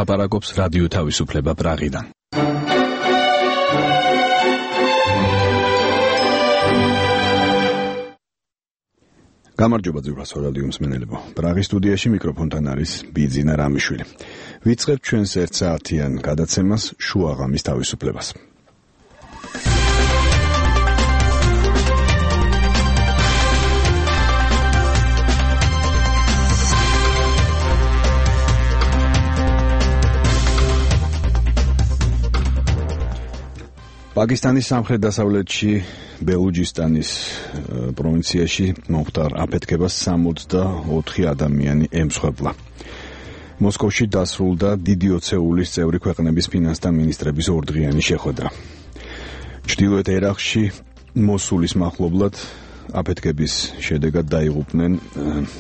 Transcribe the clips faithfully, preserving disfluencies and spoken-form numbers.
ლაპარაკობს რადიო თავისუფლება პრაღიდან. გამარჯობა ძვირფასო რადიო მსმენელებო. პრაღის სტუდიაში მიკროფონთან არის ბიძინა რამიშვილი. ვიწყებთ ჩვენს ერთ საათიან გადაცემას შუაღამის თავისუფლებას. პაკისტანის სამხრეთ-დასავლეთში ბელუჯისტანის პროვინციაში მომხდარ აფეთქებას სამოცდაოთხი ადამიანი ემსხვერპლა. მოსკოვში დასრულდა დიდი ოცეულის წევრი ქვეყნების ფინანსთა მინისტრების ორდღიანი შეხვედრა. ჩრდილოეთ ერაყში მოსულის მახლობლად აფეთქების შედეგად დაიღუპნენ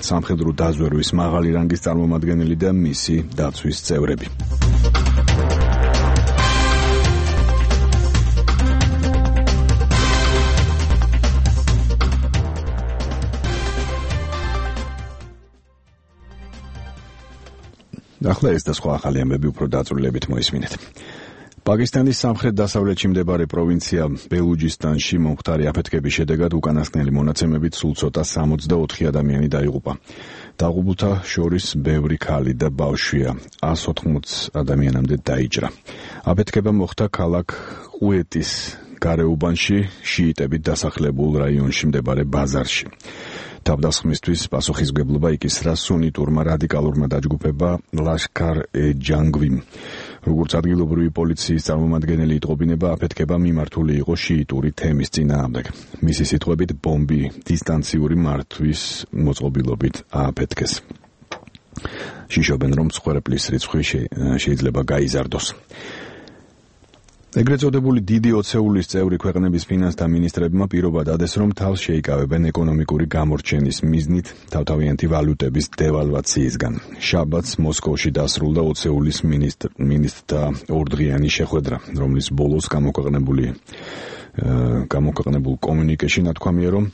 სამხედრო დაზვერვის მაღალი რანგის წარმომადგენელი და მისი დაცვის წევრები. ახლა ეს და სხვა ახალი ამბები უფრო დაწვრილებით მოისმინეთ. პაკისტანის სამხრეთ-დასავლეთში მდებარე პროვინცია ბელუჯისტანში მომხდარი აფეთქების შედეგად უკანასკნელი მონაცემებით სულ ცოტა სამოცდაოთხი ადამიანი დაიღუპა. დაღუპულთა შორის ბევრი ქალი და ბავშვია, ას ოთხმოცი ადამიანამდე დაიჭრა. აფეთქება მოხდა ქალაქ ყუეტის გარეუბანში, შიიტებით დასახლებულ რაიონში მდებარე ბაზარში. თავდასხმისთვის პასუხისმგებლობა იკისრა სუნიტურმა რადიკალურმა დაჯგუფება ლაშქარ-ე-ჯანგვიმ. როგორც ადგილობრივი პოლიციის წარმომადგენელი იტყობინება, აფეთქება მიმართული იყო შიიტური თემის წინააღმდეგ. მისი სიტყვებით, ბომბი დისტანციური მართვის მოწყობილობით ააფეთქეს. შიშობენ, რომ მსხვერპლის რიცხვი შეიძლება გაიზარდოს. ეგრეთ წოდებული დიდი ოცეულის წევრი ქვეყნების ფინანსთა მინისტრებმა პირობა დადეს, რომ თავს შეიკავებენ ეკონომიკური გამორჩენის მიზნით თავთავიანთი ვალუტების დევალვაციისგან. შაბათს მოსკოვში დასრულდა ოცეულის მინისტრთა ორდღიანი შეხვედრა, რომლის ბოლოს გამოქვეყნებული გამოქვეყნებულ კომუნიკეში ნათქვამია, რომ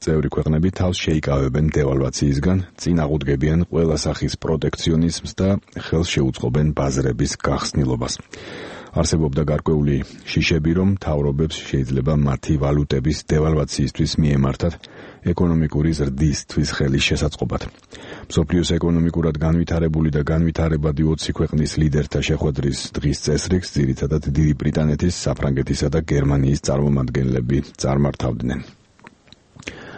წევრი ქვეყნები თავს შეიკავებენ დევალვაციისგან, წინააღმდეგებიან ყველა სახის პროტექციონიზმს და ხელს შეუწყობენ ბაზრების გახსნილობას. არსებობდა გარკვეული შიშები, რომ მთავრობებს შეიძლება მათი ვალუტების დევალვაციისთვის მიემართათ ეკონომიკური ზრდისთვის ხელის შესაწყობად. მსოფლიოს ეკონომიკურად განვითარებული და განვითარებადი ოცი ქვეყნის ლიდერთა შეხვედრის დღის წესრიგს ძირითადად დიდი ბრიტანეთის, საფრანგეთისა და გერმანიის წარმომადგენლები წარმართავდნენ.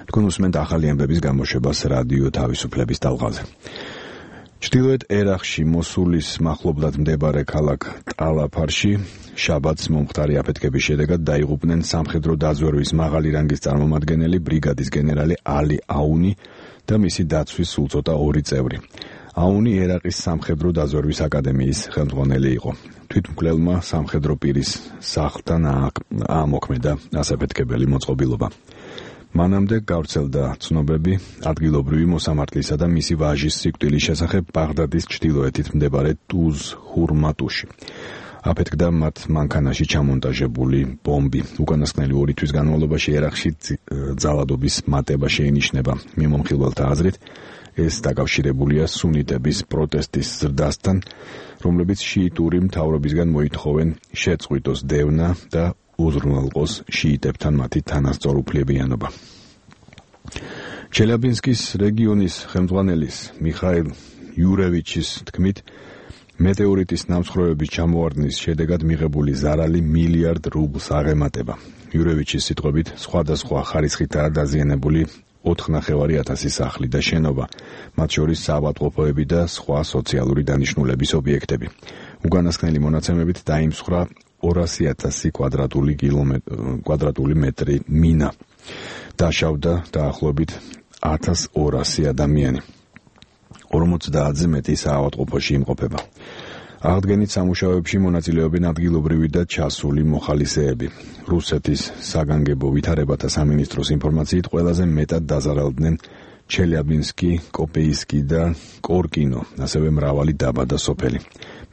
თქვენ უსმენთ ახალი ამბების გამოშვებას რადიო თავისუფლების ტალღაზე. ჩრდილოეთ ერაყში მოსულის მახლობლად მდებარე ქალაქ ტალაფარში შაბათს მომხდარი აფეთქების შედეგად დაიღუპნენ სამხედრო დაზვერვის მაღალი რანგის წარმომადგენელი ბრიგადის გენერალი ალი აუნი და მისი დაცვის სულ ცოტა ორი წევრი. აუნი ერაყის სამხედრო დაზვერვის აკადემიის ხელმძღვანელი იყო. თვითმკვლელმა სამხედრო პირის სახლთან აამოქმედა ასაფეთქებელი მოწყობილობა. მანამდე გავრცელდა ცნობები ადგილობრივი მოსამართლისა და მისი ვაჟის სიკვდილის შესახებ ბაღდადის ჩრდილოეთით მდებარე ტუზ-ჰურმატუში. აფეთქდა მათ მანქანაში ჩამონტაჟებული ბომბი. უკანასკნელი ორი თვის განმავლობაში ერაყში ძალადობის მატება შეინიშნება. მიმომხილველთა აზრით, ეს დაკავშირებულია სუნიტების პროტესტის ზრდასთან, რომლებიც შიიტური მთავრობისგან მოითხოვენ შეწყვიტოს დევნა და უზრუნველყოს შიიტებთან მათი თანასწორუფლებიანობა. ჩელიაბინსკის რეგიონის ხელმძღვანელის მიხაილ იურევიჩის თქმით, მეტეორიტის ნამსხვრევების ჩამოვარდნის შედეგად მიღებული ზარალი მილიარდ რუბლს აღემატება. იურევიჩის სიტყვებით, სხვადასხვა ხარისხითაა დაზიანებული ოთხნახევარი ათასი სახლი და შენობა, მათ შორის საავადმყოფოები და სხვა სოციალური დანიშნულების ობიექტები. უკანასკნელი მონაცემებით დაიმსხვრა ორასი ათასი კვადრატული მეტრი მინა. დაშავდა დაახლოებით ათას ორასი ადამიანი. ორმოცდაათზე მეტი საავადმყოფოში იმყოფება. აღდგენით სამუშაოებში მონაწილეობენ ადგილობრივი და ჩასული მოხალისეები. რუსეთის საგანგებო ვითარებათა სამინისტროს ინფორმაციით ყველაზე მეტად დაზარალდნენ ჩელიაბინსკი, კოპეისკი და კორკინო, ასევე მრავალი დაბა და სოფელი.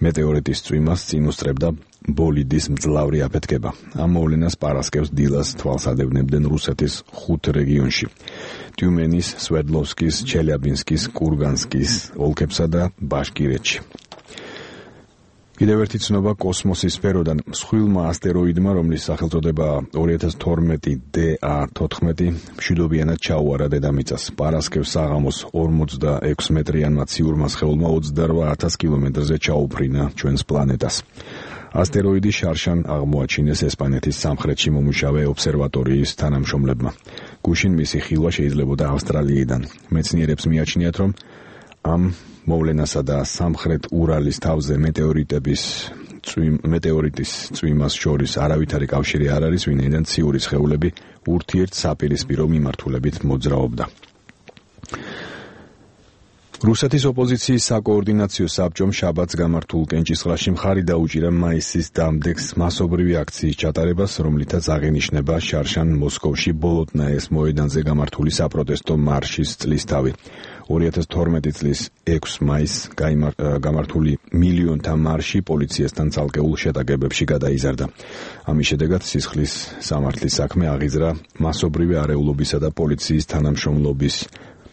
მეტეორიტის წვიმას წინ უსწრებდა ბოლიდის მძლავრი აფეთქება. ამ მოვლენას პარასკევს დილას თვალს ადევნებდნენ რუსეთის ხუთ რეგიონში: ტიუმენის, სვერდლოვსკის, ჩელიაბინსკის, კურგანსკის ოლქებსა და ბაშკირეთში. კიდევ ერთი ცნობა კოსმოსის სფეროდან მსხვილმა ასტეროიდმა, რომლის სახელწოდება ორი ათას თორმეტი დე ა თოთხმეტი მშვიდობიანად ჩაუარა დედამიწას. პარასკევს საღამოს ორმოცდაექვსი მეტრიანმა ციურმა სხეულმა ოცდარვა ათას კილომეტრზე ჩაუფრინა ჩვენს პლანეტას. ასტეროიდი შარშან აღმოაჩინეს ესპანეთის სამხრეთში მომუშავე ობსერვატორიის თანამშრომლებმა. გუშინ მისი ხილვა შეიძლებოდა ავსტრალიიდან. მეცნიერებს მიაჩნიათ, რომ ამ მოვლენასა და სამხრეთ ურალის თავზე მეტეორიტების მეტეორიტის წვიმას შორის არავითარი კავშირი არ არის, ვინაიდან ციური სხეულები ურთიერთ საპირისპირო მიმართულებით მოძრაობდა. რუსეთის ოპოზიციის საკოორდინაციო საბჭომ შაბათს გამართულ კენჭისყრაში მხარი დაუჭირა მაისის დამდეგს მასობრივი აქციის ჩატარებას, რომლითაც აღინიშნება შარშან მოსკოვში ბოლოტნაეს მოედანზე გამართული საპროტესტო მარშის წლისთავი. ორი ათას თორმეტი წლის ექვსი მაისს გამართული მილიონთა მარში პოლიციასთან ცალკეულ შეტაკებებში გადაიზარდა. ამის შედეგად სისხლის სამართლის საქმე აღიზრდა მასობრივი არეულობისა და პოლიციის თანამშრომლობის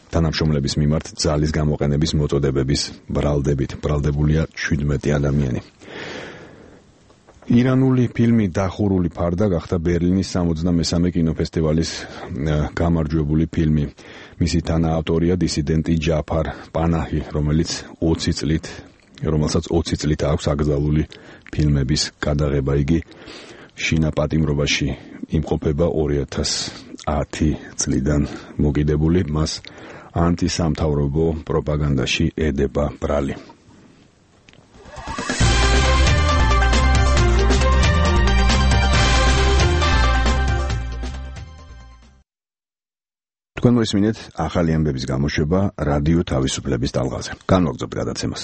თანამშრომლების მიმართ ძალის გამოყენების მოწოდებების ბრალდებით. ბრალდებულია შვიდმეტი ადამიანი. ირანული ფილმი დახურული ფარდა გახდა ბერლინის სამოცდამესამე კინოფესტივალის გამარჯვებული ფილმი. მისი თანაავტორია დისიდენტი ჯაფარ პანაჰი, რომელიც ოცი წლით, რომელსაც ოცი წლით აქვს აკრძალული ფილმების გადაღება. იგი შინაპატიმრობაში იმყოფება ორი ათას ათი წლიდან მოგიდებული, მას ანტისამთავრობო პროპაგანდაში ედება ბრალი. თქვენ მოისმინეთ ახალი ამბების გამოშვება რადიო თავისუფლების ტალღაზე. განვაგრძობთ გადაცემას.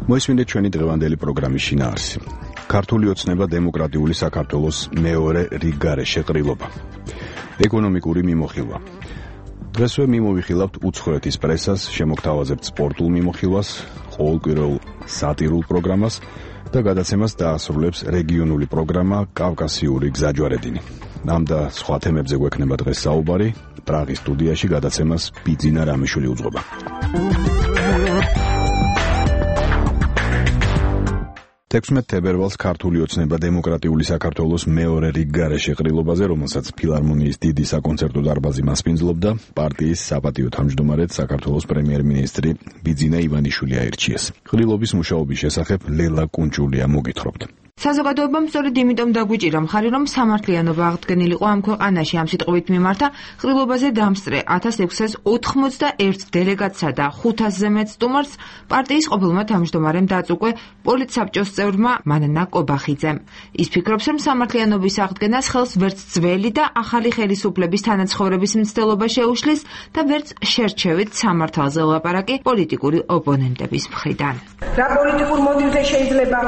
მოისმინეთ ჩვენი დღევანდელი პროგრამის შინაარსი. ქართული ოცნება დემოკრატიული საქართველოს მეორე რიგგარეშე ყრილობა. ეკონომიკური მიმოხილვა. დღესვე მიმოვიხილავთ უცხოეთის პრესას, შემოგთავაზებთ სპორტულ მიმოხილვას, ყოველკვირეულ სატირულ პროგრამას და გადაცემას დაასრულებს რეგიონული პროგრამა კავკასიური გზაჯვარედინი. ამ და სხვა თემებზე გვექნება დღეს საუბარი. პრაღის სტუდიაში გადაცემას ბიძინა რამიშვილი უძღვება. თექვსმეტ თებერვალს ქართული ოცნება დემოკრატიული საქართველოს მეორე რიგგარეშე ყრილობაზე, რომელსაც ფილარმონიის დიდი საკონცერტო დარბაზი მასპინძლობდა, პარტიის საპატიო თავმჯდომარედ საქართველოს პრემიერ-მინისტრი ბიძინა ივანიშვილი აირჩიეს. ყრილობის მუშაობის შესახებ ლელა კუნჭულია მოგითხრობთ. საზოგადოებამ სწორედ იმიტომ დაგვიჭირა მხარი, რომ სამართლიანობა აღდგენილიყო ამ ქვეყანაში. ამ სიტყვით მიმართა ყრილობაზე დამსწრე ათას ექვსას ოცდაერთი დელეგატსა და ხუთასზე მეტ სტუმარს პარტიის ყოფილმა თავმჯდომარემ დაწუყვე პოლიტსაბჭოს წევრმა მანანა კობახიძემ. ის ფიქრობს, რომ სამართლიანობის აღდგენას ხელს ვერც ძველი და ახალი ხელისუფლების თანაცხოვრების მცდელობა შეუშლის და ვერც შერჩევით სამართალზე ლაპარაკი პოლიტიკური ოპონენტების მხრიდან. რა პოლიტიკურ მოტივზე შეიძლება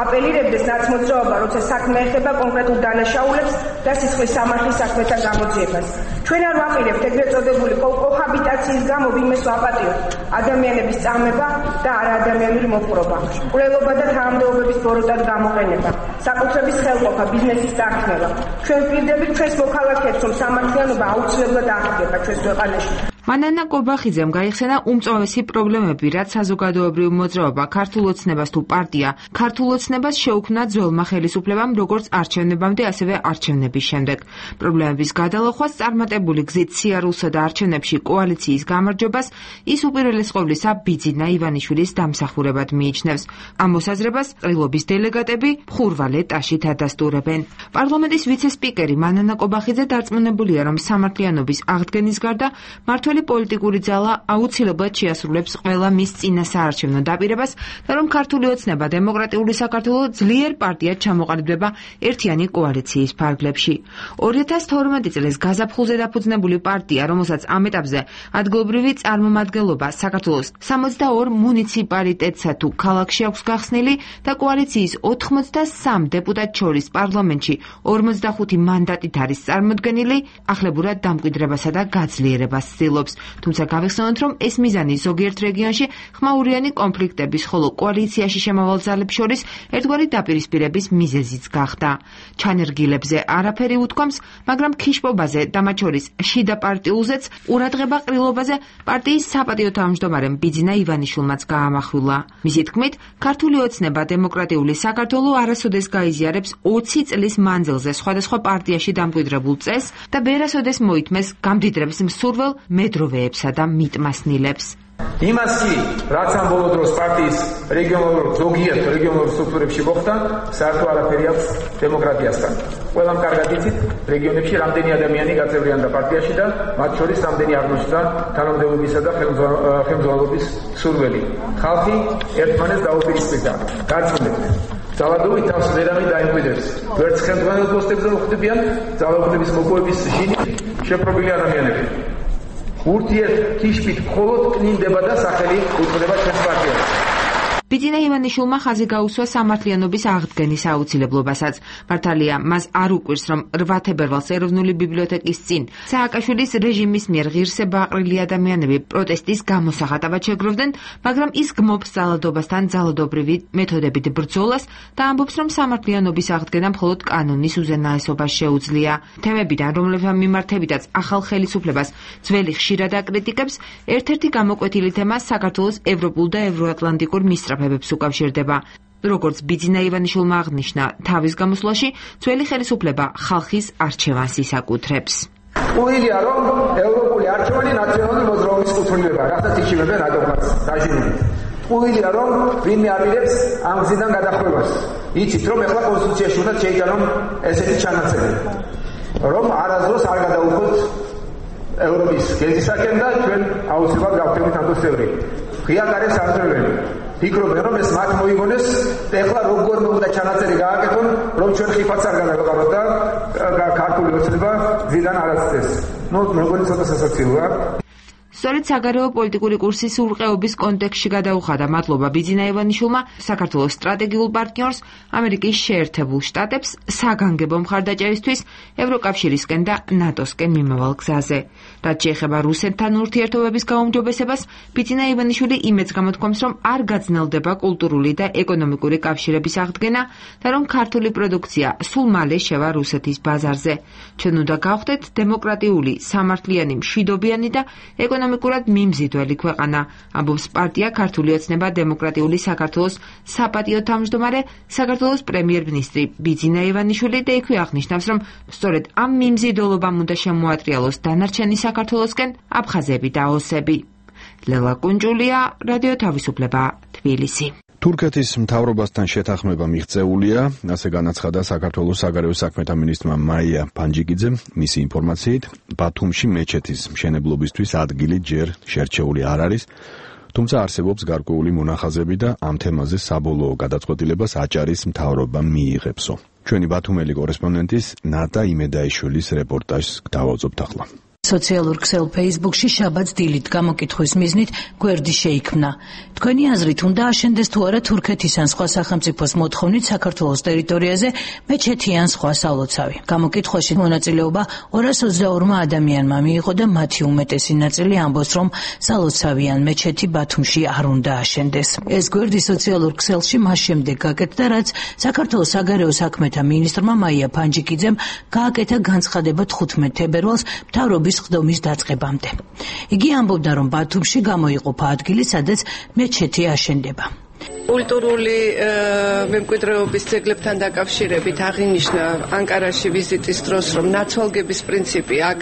აპელირებდეს მოძრაობა, როცა საქმე ეხება კონკრეტულ დანაშაულებს და სისხლის სამართლის საქმეთა გამოძიებას. ჩვენ არ ვაპირებთ ეგრეთ წოდებული კოჰაბიტაციის გამო ვინმეს ვაპატიოთ ადამიანების წამება და არაადამიანური მოპყრობა, მკვლელობა და თანამდებობების ბოროტად გამოყენება, საკუთრების ხელყოფა, ბიზნესის წარქმევა. ჩვენ ვპირდებით ჩვენს მოქალაქეებს, რომ სამართლიანობა აუცილებლად აღდგება ჩვენს ქვეყანაში. მანანა კობახიძემ გაიხსენა უმწვავესი პრობლემები, რაც საზოგადოებრივ მოძრაობა, ქართულ ოცნებას თუ პარტია, ქართულ ოცნებას შეუქმნა ძველმა ხელისუფლებამ როგორც არჩევნებამდე, ასევე არჩევნების შემდეგ. პრობლემების გადალახვას წარმატებული გზით სიარულსა და არჩევნებში კოალიციის გამარჯვებას ის უპირველეს ყოვლისა ბიძინა ივანიშვილის დამსახურებად მიიჩნევს. ამ მოსაზრებას ყრილობის დელეგატები მხურვალე ტაშით ადასტურებენ. პარლამენტის ვიცე-სპიკერი მანანა კობახიძე დარწმუნებულია, რომ სამართლიანობის აღდგენის გარდა მართველი პოლიტიკური ძალა აუცილებლად შეასრულებს ყველა მის წინა საარჩევნო დაპირებას და რომ ქართული ოცნება დემოკრატიული საქართველო ძლიერ პარტიად ჩამოყალიბდება ერთიანი კოალიციის ფარგლებში. ორი ათას თორმეტი წლის გაზაფხულზე დაფუძნებული პარტია, რომელსაც ამ ეტაპზე ადგილობრივი წარმომადგენლობა საქართველოს სამოცდაორ მუნიციპალიტეტსა თუ ქალაქში აქვს გახსნილი და კოალიციის ოთხმოცდასამ დეპუტატ შორის პარლამენტში ორმოცდახუთი მანდატით არის წარმოდგენილი, ახლებურად დამკვიდრებასა და გაძლიერებას ცდილობს. ცდილობს, თუმცა გავიხსენოთ, რომ ეს მიზანი ზოგიერთ რეგიონში ხმაურიანი კონფლიქტების, ხოლო კოალიციაში შემავალ ძალებს შორის ერთგვარი დაპირისპირების მიზეზიც გახდა. ჩანერგილებზე არაფერი უთქვამს, მაგრამ ქიშპობაზე და მათ შორის შიდა პარტიულზეც ყურადღება ყრილობაზე პარტიის საპატიო თავმჯდომარემ ბიძინა ივანიშვილმაც გაამახვილა. მისი თქმით, ქართული ოცნება დემოკრატიული საქართველო არასოდეს გაიზიარებს ოცი წლის მანძილზე სხვადასხვა პარტიაში დამკვიდრებულ წესს და ვერასოდეს მოითმეს გამდიდრებს მსურველ მედროვეებსა და მიტმასნილებს. იმას კი, რაც ამ ბოლო დროს პარტიის რეგიონალურ ზოგიერთ რეგიონალურ სტრუქტურებში მოხდა, საერთო არაფერი აქვს დემოკრატიასთან. ყველამ კარგად იცით, რეგიონებში რამდენი ადამიანი გაწევრიანდა პარტიაში და მათ შორის რამდენი აღმოჩნდა თანამდებობისა და ხელმძღვანელობის სურვილი. ხალხი ერთმანეთს დაუპირისპირდა. გაწმენდით. ძალადობით თავს ვერავინ დაიმკვიდრებს. ვერც ხელმძღვანელ პოსტებზე მოხვდებიან ძალაუფლების მოპოვების ჟინით შეპრობილი ადამიანები. ურთიერთ ქიშპით მხოლოდ კნინდება და სახელი უწოდება ჩვენს პარტიას. ბიძინა ივანიშვილმა ხაზი გაუსვა სამართლიანობის აღდგენის აუცილებლობასაც. მართალია, მას არ უკვირს, რომ რვა თებერვალს ეროვნული ბიბლიოთეკის წინ სააკაშვილის რეჟიმის მიერ ღირსებაყრილი ადამიანები პროტესტის გამოსახატავად შეგროვდნენ, მაგრამ ის გმობს ძალადობასთან ძალადობრივი მეთოდებით ბრძოლას და ამბობს, რომ სამართლიანობის აღდგენა მხოლოდ კანონის უზენაესობას შეუძლია. თემებიდან, რომლებთან მიმართებითაც ახალ ხელისუფლებას ძველი ხშირად აკრიტიკებს, ერთ-ერთი გამოკვეთილი თემა საქართველოს ევროპულ და ევროატლანტიკურ მისწრაფ უკავშირდება. როგორც ბიძინა ივანიშვილმა აღნიშნა, თავის გამოსვლაში ძველი ხელისუფლება ხალხის არჩევანს ისაკუთრებს. უილია, რომ ევროპული არჩევანი ნაციონალური მოძრაობის კუთვნილებაა, რასაც იშიმებენ ადვოკატს დაჟინებით. უილია, რომ ვინმე აპირებს ამ გზიდან გადახვევას. იცით, რომ ეხლა კონსტიტუციაში უნდა შეიტანონ ესეთი ჩანაწერი, რომ არასდროს არ გადაუხოთ ევროპის გეზისაკენ და ჩვენ აუცილებლად გავხდებით ამ წევრი. ღია გარეს არწევები. ფიქრობენ, რომ ეს მათ მოიგონეს, ეხლა როგორ უნდა ჩანაწერი გააკეთონ, რომ ჩვენ ხიფაც არ გადავეყაროთ და ქართული ოცნება გზიდან არ აცდეს. ნუ მეგონი ცოტა სასაცილოა. სწორედ საგარეო პოლიტიკური კურსის ურყეობის კონტექსტში გადაუხადა მადლობა ბიძინა ივანიშვილმა საქართველოს სტრატეგიულ პარტნიორს ამერიკის შეერთებულ შტატებს საგანგებო მხარდაჭერისთვის ევროკავშირისკენ და ნატოსკენ მიმავალ გზაზე. რაც შეეხება რუსეთთან ურთიერთობების გაუმჯობესებას, ბიძინა ივანიშვილი იმედს გამოთქვამს, რომ არ გაძნელდება კულტურული და ეკონომიკური კავშირების აღდგენა და რომ ქართული პროდუქცია სულ მალე შევა რუსეთის ბაზარზე. ჩვენ უნდა გავხდეთ დემოკრატიული, სამართლიანი, მშვიდობიანი და ეკონომიკურად მიმზიდველი ქვეყანა, ამბობს პარტია ქართული ოცნება დემოკრატიული საქართველოს საპატიო თავმჯდომარე, საქართველოს პრემიერ-მინისტრი ბიძინა ივანიშვილი და იქვე აღნიშნავს, რომ სწორედ ამ მიმზიდველობამ უნდა შემოატრიალოს დანარჩენი საქართველოსკენ აფხაზები და ოსები. ლელა კუნჯულია, რადიო თავისუფლება, თბილისი. თურქეთის მთავრობასთან შეთანხმება მიღწეულია, ასე განაცხადა საქართველოს საგარეო საქმეთა მინისტრმა მაია ფანჯიკიძემ. მისი ინფორმაციით, ბათუმში მეჩეთის მშენებლობისთვის ადგილი ჯერ შერჩეული არ არის, თუმცა არსებობს გარკვეული მონახაზები და ამ თემაზე საბოლოო გადაწყვეტილებას აჭარის მთავრობა მიიღებსო. ჩვენი ბათუმელი კორესპონდენტის ნატა იმედაიშვილის რეპორტაჟს გავაუძობთ ახლა. სოციალურ ქსელ Facebook-ში შაბათს დილით გამოკითხვის მიზნით გვერდი შეიქმნა. თქვენი აზრით უნდა აშენდეს თუ არა თურქეთის ან სხვა სახელმწიფოს მოთხოვნით საქართველოს ტერიტორიაზე მეჩეთი ან სხვა სალოცავი. გამოკითხვაში მონაწილეობა ორას ოცდაორმა ადამიანმა მიიღო და მათი უმეტესი ნაწილი ამბობს, რომ სალოცავი ან მეჩეთი ბათუმში არ უნდა აშენდეს. ეს გვერდი სოციალურ ქსელში მას შემდეგ გაკეთდა, რაც საქართველოს საგარეო საქმეთა მინისტრმა მაია ფანჯიკიძემ გააკეთა განცხადება თხუთმეტ თებერვალს მთავრობის ხდომის დაწყებამდე. იგი ამბობდა, რომ ბათუმში გამოიყოფა ადგილი, სადაც მეჩეთი აშენდება. კულტურული მემკვიდრეობის ძეგლებთან დაკავშირებით აღინიშნა ანკარაში ვიზიტის დროს, რომ ნაცვალგების პრინციპი აქ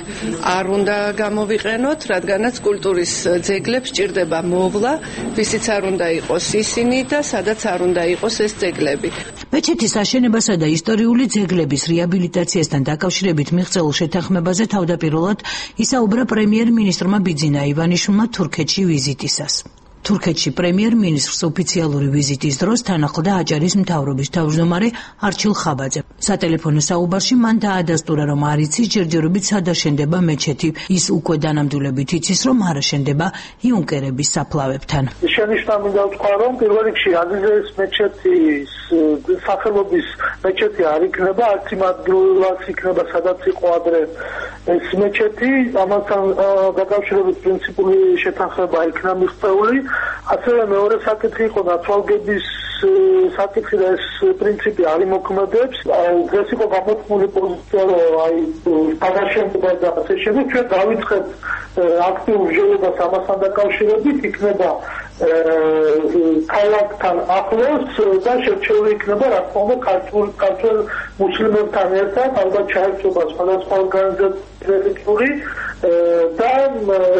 არ უნდა გამოვიყენოთ, რადგანაც კულტურის ძეგლებს ჭირდება მოვლა, ვისიც არ უნდა იყოს ისინი და სადაც არ უნდა იყოს ეს ძეგლები. მეჩეთის აშენებასა და ისტორიული ძეგლების რეაბილიტაციასთან დაკავშირებით მიღწეულ შეთანხმებაზე თავდაპირველად ისაუბრა პრემიერ-მინისტრმა ბიძინა ივანიშვილმა თურქეთში ვიზიტისას. თურქეთში პრემიერ-მინისტრს ოფიციალური ვიზიტის დროს თან ახლდა აჭარის მთავრობის თავმჯდომარე არჩილ ხაბაძე. სატელეფონო საუბარში მან დაადასტურა, რომ არ იცის ჯერჯერობით სად აშენდება მეჩეთი. ის უკვე დანამდვილებით იცის, რომ არ აშენდება იუნკერების საფლავებთან. შენიშნა მინდა ვთქვა, რომ პირველ რიგში აზიზეს მეჩეთის სახელობის მეჩეთი არ იქნება, არც იმ ადგილას იქნება, სადაც იყო ადრე ეს მეჩეთი ამასთან დაკავშირებით პრინციპული შეთანხმება იქნა მიღწეული. ასევე მეორე საკითხი იყო ნაცვალგების საკითხი და ეს პრინციპი არ იმოქმედებს. დღეს იყო გამოთქმული პოზიცია, რომ აი დაგაშენდება და ასე შემდეგ. ჩვენ დავიწყეთ აქტიურ მსჯელობას ამასთან დაკავშირებით, იქნება ქალაქთან ახლოს და შერჩეული იქნება რა თქმა უნდა ქართულ ქართულ მუსლიმებთან ერთად, ალბათ ჩაერთვება სხვადასხვა ორგანიზაციური და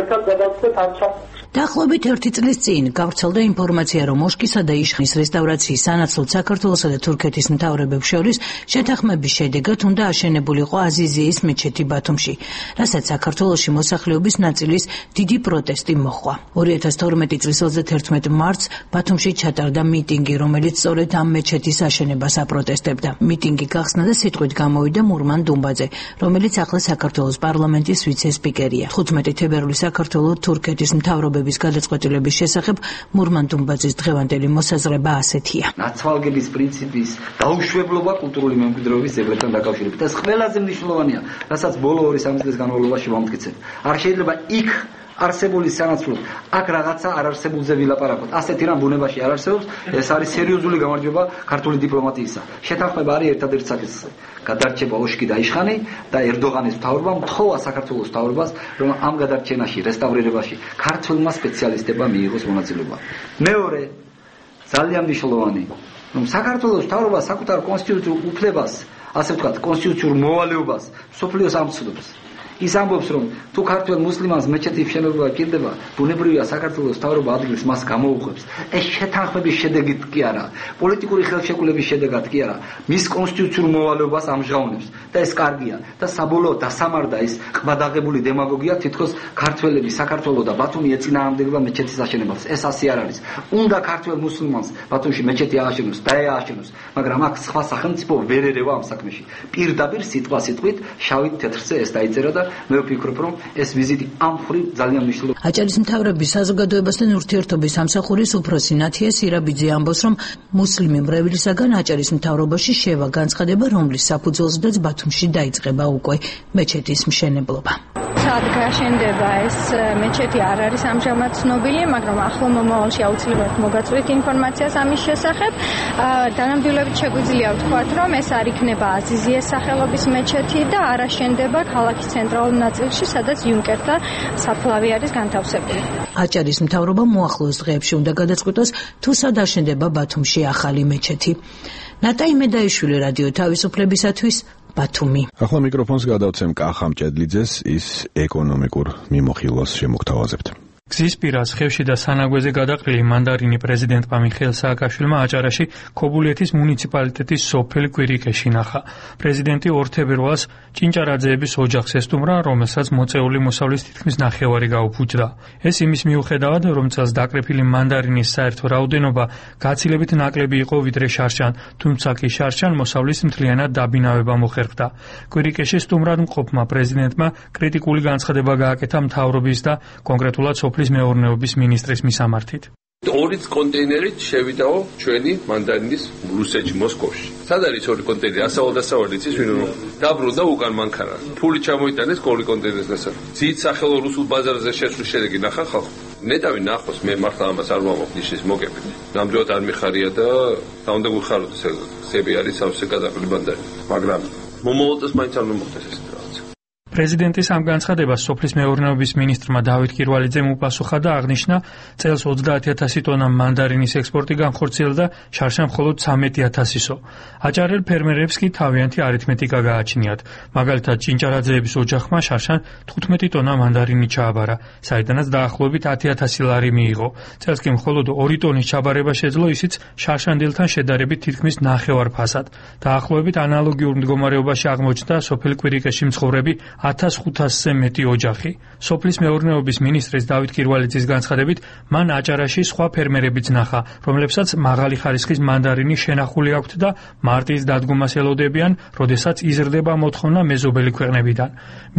ერთად გადავწყვეტ ამ საკითხს. დაახლოებით ერთი წლის წინ გავრცელდა ინფორმაცია, რომ მოშკისა და იშხნის რესტავრაციის სანაცვლოდ საქართველოსა და თურქეთის მთავრობებს შორის შეთანხმების შედეგად უნდა აშენებულიყო აზიზიის მეჩეთი ბათუმში, რასაც საქართველოში მოსახლეობის ნაწილის დიდი პროტესტი მოჰყვა. ორი ათას თორმეტი წლის ოცდაათი მარტს ბათუმში ჩატარდა მიტინგი, რომელიც სწორედ ამ მეჩეთის აშენებას აპროტესტებდა. მიტინგი გახსნა და სიტყვით გამოვიდა მურმან დუმბაძე, რომელიც ახლა საქართველოს პარლამენტის ვიცე-სპიკერია. თხუთმეტი თებერვლის საქართველოს თურქეთის მთავრობების გადაწყვეტილების შესახებ მურმან დუმბაძის დღევანდელი მოსაზრება ასეთია. ნაცვალგების პრინციპის დაუშვებლობა კულტურული მემკვიდრეობის ძეგლებთან დაკავშირებით. ეს ყველაზე მნიშვნელოვანია, რასაც ბოლო ორი სამი წლის განმავლობაში ვამტკიცებ. არ შეიძლება იქ არსებული სანაცვლოდ აქ რაღაცა არ არსებულზე ვილაპარაკოთ. ასეთი რამ ბუნებაში არ არსებობს, ეს არის სერიოზული გამარჯვება ქართული დიპლომატიისა. შეთანხმება არის ერთადერთი საკითხი. გადარჩება ოშკი და იშხანი და ერდოღანის მთავრობამ მთხოვა საქართველოს მთავრობას, რომ ამ გადარჩენაში, რესტავრირებაში ქართველმა სპეციალისტებმა მიიღოს მონაწილეობა. მეორე, ძალიან მნიშვნელოვანი, რომ საქართველოს მთავრობა საკუთარ კონსტიტუციურ უფლებას, ასე ვთქვათ, კონსტიტუციურ მოვალეობას სოფლიოს ამცნობს. ის ამბობს, რომ თუ ქართველ მუსლიმანს მეჩეთის მშენებლობა ჭირდება, ბუნებრივია საქართველოს მთავრობა ადგილს მას გამოუხებს. ეს შეთანხმების შედეგით კი არა, პოლიტიკური ხელშეკრულების შედეგად კი არა, მის კონსტიტუციურ მოვალეობას ამჟღავნებს და ეს კარგია და საბოლოოდ დასამარდა ის ყბადაღებული დემაგოგია, თითქოს ქართველები საქართველოს და ბათუმი ეწინააღმდეგება მეჩეთის აშენებას. ეს ასე არ არის. უნდა ქართველ მუსლიმანს ბათუმში მეჩეთი ააშენოს, დაეაშენოს, მაგრამ აქ სხვა სახელმწიფო ვერ ერევა ამ საქმეში. პირდაპირ სიტყვა-სიტყვით შავით თეთრზე ეს დაიწერა და მე ვფიქრობ, რომ ეს ვიზიტი ამ მხრივ ძალიან მნიშვნელოვანია. აჭარის მთავრობის საზოგადოებასთან ურთიერთობის სამსახურის უფროსი ნათია სირაბიძე ამბობს, რომ მუსლიმი მრევლისაგან აჭარის მთავრობაში შევა განცხადება, რომლის საფუძველზედაც ბათუმში დაიწყება უკვე მეჩეთის მშენებლობა. სად გაშენდება ეს მეჩეთი არ არის ამჟამად ცნობილი, მაგრამ ახლო მომავალში აუცილებლად მოგაწვით ინფორმაციას ამის შესახებ. დანამდვილებით შეგვიძლია ვთქვათ, რომ ეს არ იქნება აზიზიეს სახელობის მეჩეთი და არ აშენდება ქალაქის ცენტრალურ ნაწილში, სადაც იუნკერთა საფლავი არის განთავსებული. აჭარის მთავრობა მოახლოეს დღეებში უნდა გადაწყვიტოს, თუ სად აშენდება ბათუმში ახალი მეჩეთი. ნატაი მედაიშვილი, რადიო თავისუფლებისათვის, ბათუმი. ახლა მიკროფონს გადავცემ კახამ ჭედლიძეს, ის ეკონომიკურ მიმოხილვას შემოგთავაზებთ. გზის პირას ხევში და სანაგვეზე გადაყრილი მანდარინი პრეზიდენტმა მიხეილ სააკაშვილმა აჭარაში ქობულეთის მუნიციპალიტეტის სოფელ კვირიკეში ნახა. პრეზიდენტი ორ თებერვალს ჭინჭარაძეების ოჯახს ესტუმრა, რომელსაც მოწეული მოსავლის თითქმის ნახევარი გაუფუჭდა. ეს იმის მიუხედავად, რომ წელს დაკრეფილი მანდარინის საერთო რაოდენობა გაცილებით ნაკლები იყო ვიდრე შარშან, თუმცა კი შარშან მოსავლის მთლიანად დაბინავება მოხერხდა. კვირიკეში სტუმრად მყოფმა პრეზიდენტმა კრიტიკული განცხადება გააკეთა მთავრობის და კონკრეტულად სოფლის მეურნეობის მინისტრის მისამართით. ორიც კონტეინერით შევიდაო ჩვენი მანდარინის რუსეთში მოსკოვში. სად არის ორი კონტეინერი? ასავალ დასავალი იცის ვინ რომ დაბრუნდა უკან მანქანა. ფული ჩამოიტანეს ორი კონტეინერის დასავალი. ძით სახელო რუსულ ბაზარზე შეცვლის შედეგი ნახა ხალხო. ნეტავი ნახოს, მე მართლა ამას არ ვამაყობ ნიშის მოგებით. ნამდვილად არ მიხარია და და უნდა გვიხაროთ ეს სები არის სავსე გადაყრილი მანდარინი. მაგრამ მომავალს მაინც არ მომხდეს ეს რაღაც. პრეზიდენტის ამ განცხადებას სოფლის მეურნეობის მინისტრმა დავით კირვალიძემ უპასუხა და აღნიშნა, წელს ოცდაათი ათასი ტონა მანდარინის ექსპორტი განხორციელდა, შარშან მხოლოდ ცამეტი ათასისო. აჭარელ ფერმერებს კი თავიანთი არითმეტიკა გააჩნიათ. მაგალითად, ჭინჭარაძეების ოჯახმა შარშან თხუთმეტი ტონა მანდარინი ჩააბარა, საიდანაც დაახლოებით ათი ათასი ლარი მიიღო. წელს კი მხოლოდ ორი ტონის ჩაბარება შეძლო, ისიც შარშანდილთან შედარებით თითქმის ნახევარ ფასად. დაახლოებით ანალოგიურ მდგომარეობაში აღმოჩნდა სოფელ კვირიკეში მცხოვრები ათას ხუთასზე მეტი ოჯახი. სოფლის მეურნეობის მინისტრის დავით კირვალიძის განცხადებით, მან აჭარაში სხვა ფერმერებიც ნახა, რომლებსაც მაღალი ხარისხის მანდარინი შენახული აქვთ და მარტის დადგომას ელოდებიან, როდესაც იზრდება მოთხოვნა მეზობელი ქვეყნებიდან.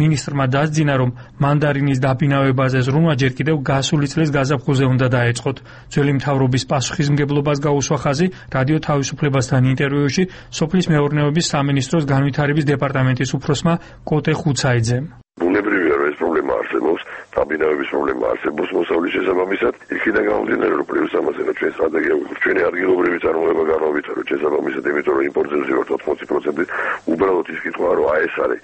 მინისტრმა დასძინა, რომ მანდარინის დაბინავებაზე ზრუნვა ჯერ კიდევ გასული წლის გაზაფხულზე უნდა დაეწყოთ. ძველი მთავრობის პასუხისმგებლობას გაუსვა ხაზი რადიო თავისუფლებასთან ინტერვიუში სოფლის მეურნეობის სამინისტროს განვითარების დეპარტამენტის უფროსმა კოტე ხუცაიძემ. ბუნებრივია რომ ეს პრობლემა არსებობს, დაბინავების პრობლემა არსებობს მოსავლის შესაბამისად, იქიდან გამომდინარე რომ პლუს ამაზე რომ ჩვენ სტრატეგია ვიყავ, ჩვენი ადგილობრივი წარმოება განავითარო შესაბამისად, იმიტომ რომ იმპორტზე ვზივართ ოთხმოცი პროცენტი, უბრალოდ ის კითხვა რომ აი ეს არის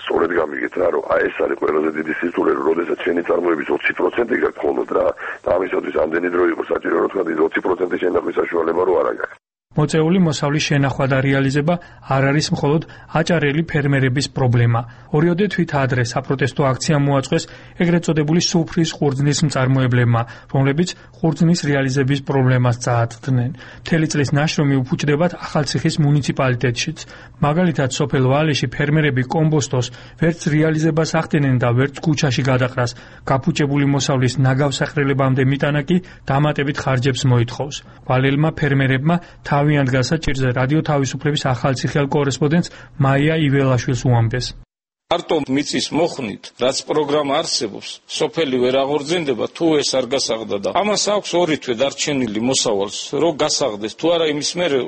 სწორედ გამიგეთ რა რომ აი ეს არის ყველაზე დიდი სირთულე რომ როდესაც ჩვენი წარმოების ოცი პროცენტი გაქვს მხოლოდ რა და ამისათვის ამდენი დრო იყო საჭირო რომ თქვა ოცი პროცენტი შენახვის საშუალება რო არ აქვს. მოწეული მოსავლის შენახვა და რეალიზება არ არის მხოლოდ აჭარელი ფერმერების პრობლემა. ორიოდე თვით ადრე საპროტესტო აქცია მოაწყვეს ეგრეთ წოდებული სუფრის ყურძნის მწარმოებლებმა, რომლებიც ყურძნის რეალიზების პრობლემას წააგდნენ. მთელი წლის ნაშრომი უფუჭდებათ ახალციხის მუნიციპალიტეტშიც. მაგალითად, სოფელ ვალეში ფერმერები კომბოსტოს ვერც რეალიზებას ახდენენ და ვერც ქუჩაში გადაყრას. გაფუჭებული მოსავლის ნაგავსაყრელებამდე მიტანა კი დამატებით ხარჯებს მოითხოვს. ვალელმა ფერმერებმა თავიანთ გასაჭირზე რადიო თავისუფლების ახალციხელ კორესპონდენტს მაია იველაშვილს უამბეს. მარტო მიწის მოხნით, რაც პროგრამა არსებობს, სოფელი ვერ აღორძინდება, თუ ეს არ გასაღდა და ამას აქვს ორი თვე დარჩენილი მოსავალს, რომ გასაღდეს, თუ არა იმის მერე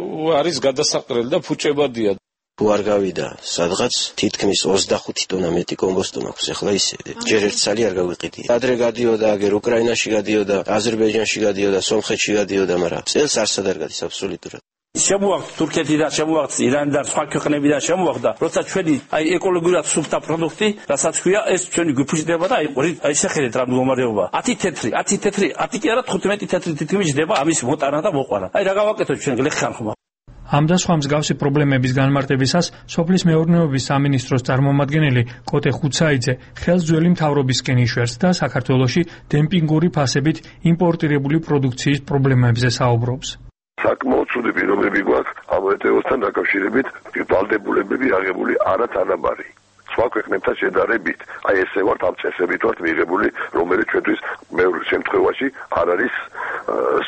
არის გადასაყრელი და ფუჭებადია. თუ არ გავიდა სადღაც თითქმის ოცდახუთი ტონა მეტი კომბოსტო მაქვს, ეხლა ისე ჯერ ერთ წალი არ გავიყიდი. ადრე გადიოდა, აგერ უკრაინაში გადიოდა, აზერბაიჯანში გადიოდა, სომხეთში გადიოდა, მაგრამ წელს არსად არ გადის აბსოლუტურად. შემოაქვს თურქეთიდან, შემოაქვს ირანიდან, სხვა ქვეყნებიდან შემოაქვს, როცა ჩვენი აი ეკოლოგიურად სუფთა პროდუქტი, რასაც ქვია, ეს ჩვენი გვიფუჭდება და აი აი შეხედეთ რა მდგომარეობა. ათი თეთრი, ათი თეთრი, ათი კი არა თხუთმეტი თეთრი თითქმის ჯდება ამის მოტანა და მოყვანა. აი რა გავაკეთოთ ჩვენ გლეხან ხმა. ამ და სხვა მსგავსი პრობლემების განმარტებისას სოფლის მეურნეობის სამინისტროს წარმომადგენელი კოტე ხუცაიძე ხელს ძველი მთავრობისკენ იშვერს და საქართველოში დემპინგური ფასებით იმპორტირებული პროდუქციის პრობლემებზე საუბრობს. საკმაოდ ცუდი პირობები გვაქვს ამ ეტეოსთან დაკავშირებით, ვალდებულებები აღებული არათანაბარი. სხვა ქვეყნებთან შედარებით, აი ესე ვართ ამ წესებით ვართ მიღებული, რომელიც ჩვენთვის მეორე შემთხვევაში არ არის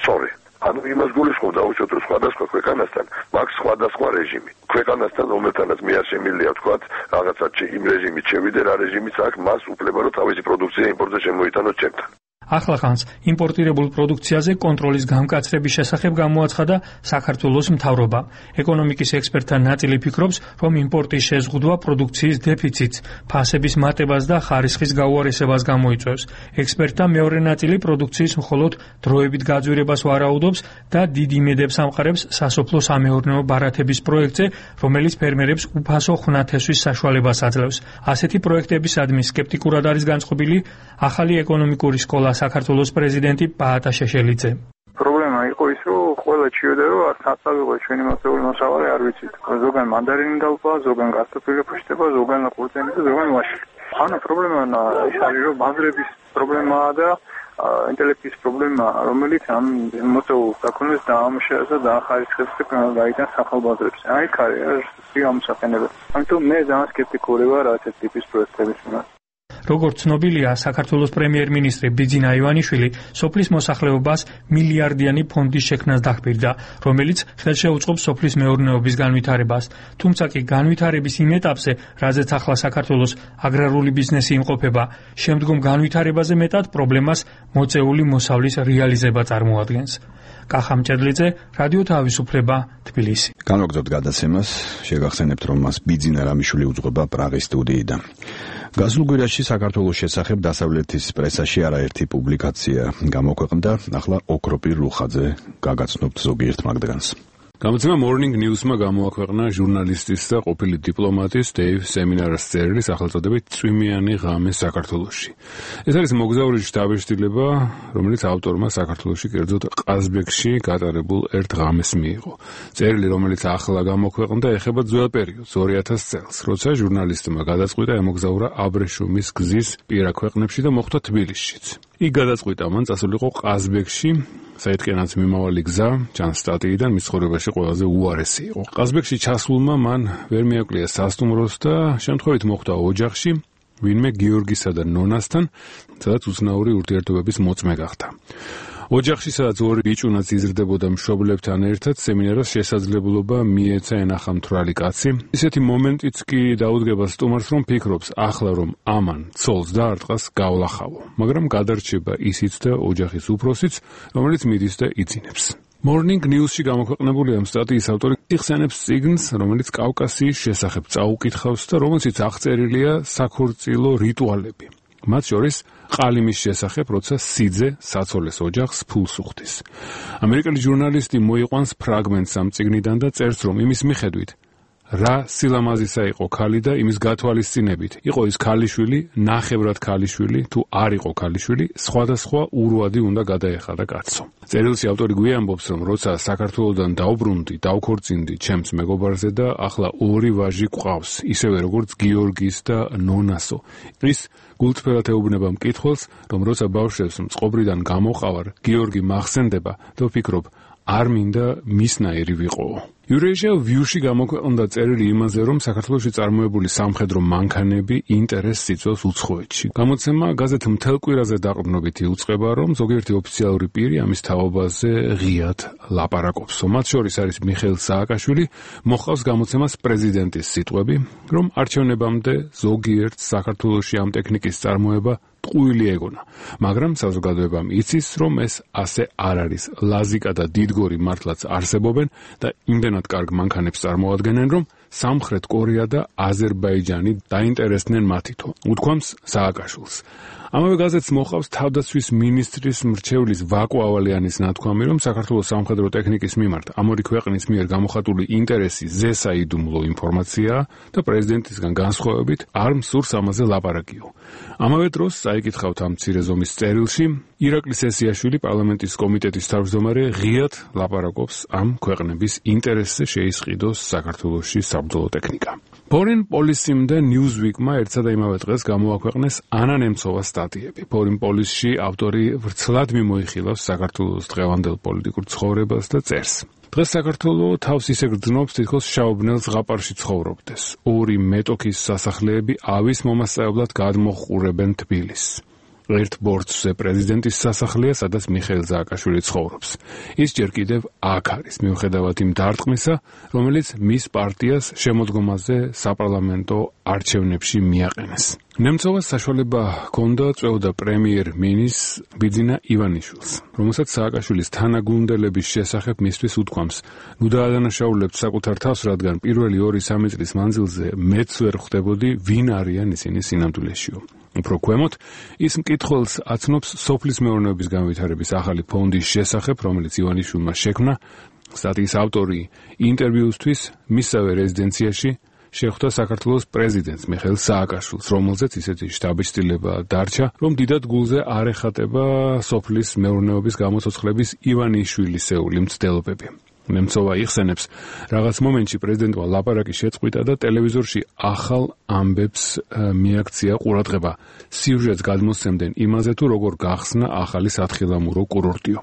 სწორი. ანუ იმას გულისხმობ დაუშვათ რომ სხვადასხვა ქვეყანასთან მაქვს სხვადასხვა რეჟიმი. ქვეყანასთან რომელთანაც მე არ შემიძლია ვთქვათ რაღაცა იმ რეჟიმით შევიდე რა რეჟიმიც აქვს მას უფლება რომ თავისი პროდუქცია იმპორტზე შემოიტანოს ჩემთან. ახლახანს იმპორტირებულ პროდუქციაზე კონტროლის გამკაცრების შესახებ გამოაცხადა საქართველოს მთავრობა. ეკონომიკის ექსპერტთა ნაწილი ფიქრობს, რომ იმპორტის შეზღუდვა პროდუქციის დეფიციტს, ფასების მატებას და ხარისხის გაუარესებას გამოიწვევს. ექსპერტთა მეორე ნაწილი პროდუქციის მხოლოდ დროებით გაძვირებას ვარაუდობს და დიდ იმედებს ამყარებს სასოფლო სამეურნეო ბარათების პროექტზე, რომელიც ფერმერებს უფასო ხვნათესვის საშუალებას აძლევს. ასეთი პროექტებისადმი სკეპტიკურად არის განწყობილი ახალი ეკონომიკური სკოლა საქართველოს პრეზიდენტი პაატა შეშელიძე. პრობლემა იყო ის, რომ ყველა ჩიოდა, რომ არ საწავიღო ჩვენი მოსწავლე მოსავალი არ ვიცით. ზოგან მანდარინი დალპა, ზოგან კარტოფილი ფუშტება, ზოგან ყურძენი და ზოგან ვაშლი. ანუ პრობლემა ის არის, რომ ბაზრების პრობლემაა და ინტელექტის პრობლემა, რომელიც ამ მოსწავლეს დაქონეს დაამუშავეს და დაახარისხეს და გაიტანს ახალბაზრებს. აი, ხარ ეს ამსაყენებელი. ამიტომ მე ძალიან სკეპტიკური ვარ ასეთ ტიპის პროექტების მიმართ. როგორც ცნობილია, საქართველოს პრემიერ-მინისტრი ბიძინა ივანიშვილი სოფლის მოსახლეობას მილიარდიანი ფონდის შექმნას დახბირდა, რომელიც ხელშეუწყობს სოფლის მეურნეობის განვითარებას. თუმცა კი განვითარების იმ ეტაპზე, რაზეც ახლა საქართველოს აგრარული ბიზნესი იმყოფება, შემდგომ განვითარებაზე მეტად პრობლემას მოწეული მოსავლის რეალიზება წარმოადგენს. კახამ ჭედლიძე, რადიო თავისუფლება, თბილისი. განვაგრძობთ გადაცემას, შეგახსენებთ, რომ მას ბიძინა რამიშვილი უძღვება პრაღის სტუდიიდან. გასულ კვირაში საქართველოს შესახებ დასავლეთის პრესაში არაერთი პუბლიკაცია გამოქვეყნდა, ახლა ოქროპირ რუხაძე გაგაცნობთ ზოგიერთ მაგდრანს. გამოცემა Morning News-მა გამოაქვეყნა ჟურნალისტის და ყოფილი დიპლომატის დეივ სემინარას წერილი სახელწოდებით წვიმიანი ღამე საქართველოში. ეს არის მოგზაური შთაბეჭდილება, რომელიც ავტორმა საქართველოში, კერძოდ ყაზბეგში გატარებულ ერთ ღამეს მიიღო. წერილი, რომელიც ახლა გამოქვეყნდა, ეხება ძველ პერიოდს, ორი ათას წელს, როცა ჟურნალისტმა გადაწყვიტა ემოგზაურა აბრეშუმის გზის პირა ქვეყნებში და მოხვდა თბილისშიც. იქ გადაწყვიტა მან წასულიყო ყაზბეგში, საიდკენაც მიმავალი გზა, ჩანს სტატიიდან, მის ცხოვრებაში ყველაზე უარესი იყო. ყაზბეგში ჩასულმა მან ვერ მიაკლია სასტუმროს და შემთხვევით მოხვდა ოჯახში, ვინმე გიორგისა და ნონასთან, სადაც უცნაური ურთიერთობების მოწმე გახდა. ოჯახში, სადაც ორი ბიჭუნაც იზრდებოდა მშობლებთან ერთად, სემინარას შესაძლებლობა მიეცა ენახა მთვრალი კაცი. ისეთი მომენტიც კი დაუდგება სტუმარს, რომ ფიქრობს, ახლა რომ ამან ცოლს დაარტყას გავლახავო, მაგრამ გადარჩება ისიც და ოჯახის უფროსიც, რომელიც მიდის და იცინებს. Morning News-ში გამოქვეყნებული ამ სტატიის ავტორი იხსენებს წიგნს, რომელიც კავკასიის შესახებ წაუკითხავს და რომელშიც აღწერილია საქორწილო რიტუალები. მათ შორის ყალიმის შესახებ, როცა სიძე საცოლეს ოჯახს ფულს უხდის. ამერიკელი ჟურნალისტი მოიყვანს ფრაგმენტს ამ წიგნიდან და წერს, რომ იმის მიხედვით რა სილამაზისა იყო ქალი და იმის გათვალისწინებით იყო ის ქალიშვილი, ნახევრად ქალიშვილი, თუ არ იყო ქალიშვილი, სხვადასხვა ურვადი უნდა გადაეხადა კაცო. წერილში ავტორი გვიამბობს, რომ როცა საქართველოდან დავბრუნდი, დავქორწინდი ჩემს მეგობარზე და ახლა ორი ვაჟი გვყავს, ისევე როგორც გიორგის და ნონასო. ის გულწრფელად ეუბნება მკითხველს, რომ როცა ბავშვებს მწყობრიდან გამოყავარ, გიორგი მახსენდება და ვფიქრობ, არ მინდა მისნაირი ვიყო. Eurasia View-ში გამოქვეყნდა წერილი იმაზე, რომ საქართველოში წარმოებული სამხედრო მანქანები ინტერესს იწვევს უცხოეთში. გამოცემა გაზეთ მთელ კვირაზე დაყრდნობით იუწყება, რომ ზოგიერთი ოფიციალური პირი ამის თაობაზე ღიად ლაპარაკობს. მათ შორის არის მიხეილ სააკაშვილი, მოჰყავს გამოცემას პრეზიდენტის სიტყვები, რომ არჩევნებამდე ზოგიერთ საქართველოში ამ ტექნიკის წარმოება ტყუილი ეგონა, მაგრამ საზოგადოებამ იცის, რომ ეს ასე არ არის. ლაზიკა და დიდგორი მართლაც არსებობენ და იმდენად კარგ მანქანებს წარმოადგენენ, რომ სამხრეთ კორეა და აზერბაიჯანი დაინტერესდნენ მათითო, უთქვამს სააკაშვილს. ამავე გაზეთს მოჰყავს თავდაცვის მინისტრის მრჩევლის ვაკო ავალიანის ნათქვამი, რომ საქართველოს სამხედრო ტექნიკის მიმართ ამ ორი ქვეყნის მიერ გამოხატული ინტერესი ზესაიდუმლო ინფორმაციაა და პრეზიდენტისგან განსხვავებით არ მსურს ამაზე ლაპარაკიო. ამავე დროს წაიკითხავთ ამ მცირე ზომის წერილში, ირაკლი სესიაშვილი პარლამენტის კომიტეტის თავმჯდომარე ღიად ლაპარაკობს ამ ქვეყნების ინტერესზე შეისყიდოს საქართველოში საბრძოლო ტექნიკა. Foreign Policy-მდე Newsweek-მა ერთსა და იმავე დღეს გამოაქვეყნეს ანა ნემცოვას სტატიები. Foreign Policy-ში ავტორი ვრცლად მიმოიხილავს საქართველოს დღევანდელ პოლიტიკურ ცხოვრებას და წერს. დღეს საქართველო თავს ისე გრძნობს, თითქოს შაუბნელ ზღაპარში ცხოვრობდეს. ორი მეტოქის სასახლეები ავის მომასწავლებლად გადმოჰყურებენ თბილისს. ერთ ბორცვზე პრეზიდენტის სასახლეა, სადაც მიხეილ სააკაშვილი ცხოვრობს. ის ჯერ კიდევ აქ არის, მიუხედავად იმ დარტყმისა, რომელიც მის პარტიას შემოდგომაზე საპარლამენტო არჩევნებში მიაყენეს. ნემცოვას საშუალება ჰქონდა წვეოდა პრემიერ-მინის ბიძინა ივანიშვილს, რომელსაც სააკაშვილის თანაგუნდელების შესახებ მისთვის უთქვამს: ნუ დაადანაშაულებთ საკუთარ თავს, რადგან პირველი ორი-სამი წლის მანძილზე მეც ვერ ხვდებოდი, ვინ არიან ისინი სინამდვილეშიო. უფრო ქვემოთ, ის მკითხველს აცნობს სოფლის მეურნეობის განვითარების ახალი ფონდის შესახებ, რომელიც ივანიშვილმა შექმნა. სტატიის ავტორი ინტერვიუსთვის მისსავე რეზიდენციაში შეხვდა საქართველოს პრეზიდენტს მიხეილ სააკაშვილს, რომელზეც ისეთი შთაბეჭდილება დარჩა, რომ დიდად გულზე არ ეხატება სოფლის მეურნეობის გამოცოცხლების ივანიშვილისეული მცდელობები. ნემცოვა იხსენებს, რაღაც მომენტში პრეზიდენტმა ლაპარაკი შეწყვიტა და ტელევიზორში ახალ ამბებს მიაქცია ყურადღება. სიუჟეტს გადმოსცემდნენ იმაზე, თუ როგორ გახსნა ახალი სათხილამურო კურორტიო.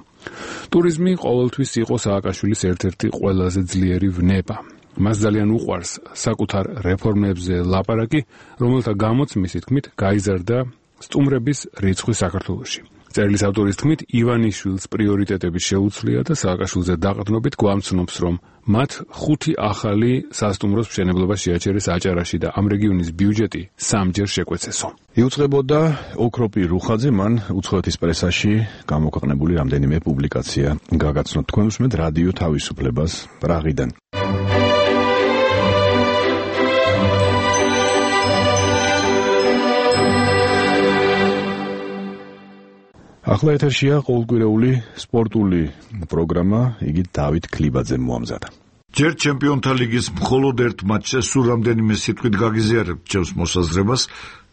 ტურიზმი ყოველთვის იყო სააკაშვილის ერთ-ერთი ყველაზე ძლიერი ვნება. მას ძალიან უყვარს საკუთარ რეფორმებზე ლაპარაკი, რომელთა გამოც მისი თქმით გაიზარდა სტუმრების რიცხვი საქართველოში. წერილის ავტორის თქმით, ივანიშვილს პრიორიტეტები შეუცვლია და სააკაშვილზე დაყრდნობით გვამცნობს, რომ მათ ხუთი ახალი სასტუმროს მშენებლობა შეაჩერეს აჭარაში და ამ რეგიონის ბიუჯეტი სამჯერ შეკვეცესო. იუწყებოდა ოქროპი რუხაძე, მან უცხოეთის პრესაში გამოქვეყნებული რამდენიმე პუბლიკაცია გაგაცნოთ. თქვენ უსმენთ რადიო თავისუფლებას პრაღიდან. ახლა ეთერშია ყოველკვირეული სპორტული პროგრამა, იგი დავით ქლიბაძემ მოამზადა. ჯერ ჩემპიონთა ლიგის მხოლოდ ერთ მატჩზე სულ რამდენიმე სიტყვით გაგიზიარებთ ჩემს მოსაზრებას,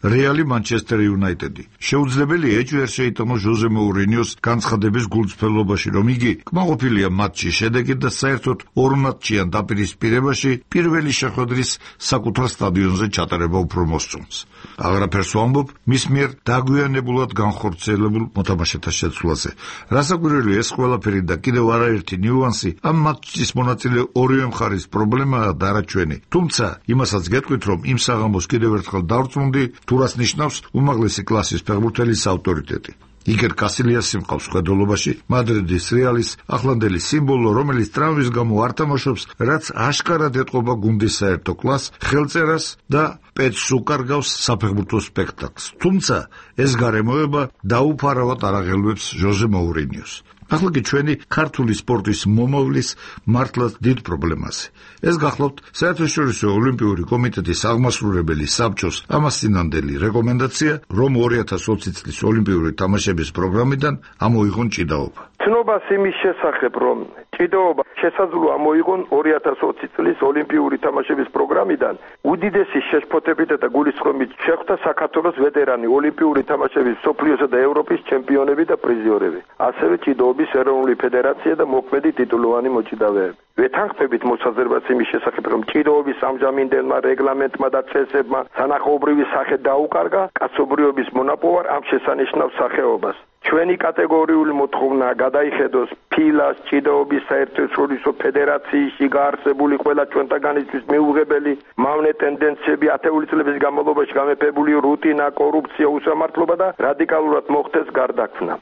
რეალი მანჩესტერ იუნაიტედი. შეუძლებელია ეჭვი არ შეიტანოს ჟოზე მოურინიოს განცხადების გულწრფელობაში, რომ იგი კმაყოფილია მატჩის შედეგით და საერთოდ ორ მატჩიან დაპირისპირებაში პირველი შეხვედრის საკუთარ სტადიონზე ჩატარება უფრო მოსწონს. აღარაფერს ვამბობ მის მიერ დაგვიანებულად განხორციელებულ მოთამაშეთა შეცვლაზე. რასაკვირველია ეს ყველაფერი და კიდევ არაერთი ნიუანსი ამ მატჩის მონაწილე ორივე მხარის პრობლემაა და არა ჩვენი. თუმცა იმასაც გეტყვით, რომ იმ საღამოს კიდევ ერთხელ დავწმუნდი, რას ნიშნავს უმაღლესი კლასის ფეხბურთელის ავტორიტეტი. იგერ კასილიასი მყავს ხედველობაში, მადრიდის რეალის ახლანდელი სიმბოლო, რომელიც ტრამვის გამო არ თამაშობს, რაც აშკარად ეტყობა გუნდის საერთო კლასს, ხელწერას და პეც უკარგავს საფეხბურთო სპექტაკლს. თუმცა ეს გარემოება დაუფარავად არ აღელვებს ჟოზე მოურინიოს. ახლა კი ჩვენი ქართული სპორტის მომავლის მართლაც დიდ პრობლემაზე. ეს გახლავთ საერთაშორისო ოლიმპიური კომიტეტის აღმასრულებელი საბჭოს ამასწინანდელი რეკომენდაცია, რომ ორი ათას ოცი წლის ოლიმპიური თამაშების პროგრამიდან ამოიღონ ჭიდაობა. ცნობას იმის შესახებ, რომ ჭიდაობა შესაძლოა ამოიღონ ორი ათას ოცი წლის ოლიმპიური თამაშების პროგრამიდან, უდიდესი შეშფოთებით და გულისხმობით შეხვდა საქართველოს ვეტერანი ოლიმპიური თამაშების მსოფლიოსა და ევროპის ჩემპიონები და პრიზიორები, ასევე ჭიდაობის ეროვნული ფედერაცია და მოქმედი ტიტულოვანი მოჭიდავეები. ვეთანხმებით მოსაზრებას იმის შესახებ, რომ ჭიდაობის ამჟამინდელმა რეგლამენტმა და წესებმა სანახაობრივი სახე დაუკარგა კაცობრიობის მონაპოვარ ამ შესანიშნავ სახეობას. ჩვენი კატეგორიული მოთხოვნა გადაიხედოს ფილას ჭიდაობის საერთაშორისო ფედერაციაში გაარსებული ყველა ჩვენთაგანისთვის მიუღებელი მავნე ტენდენციები ათეული წლების განმავლობაში გამეფებული რუტინა, კორუფცია, უსამართლობა და რადიკალურად მოხდეს გარდაქმნა.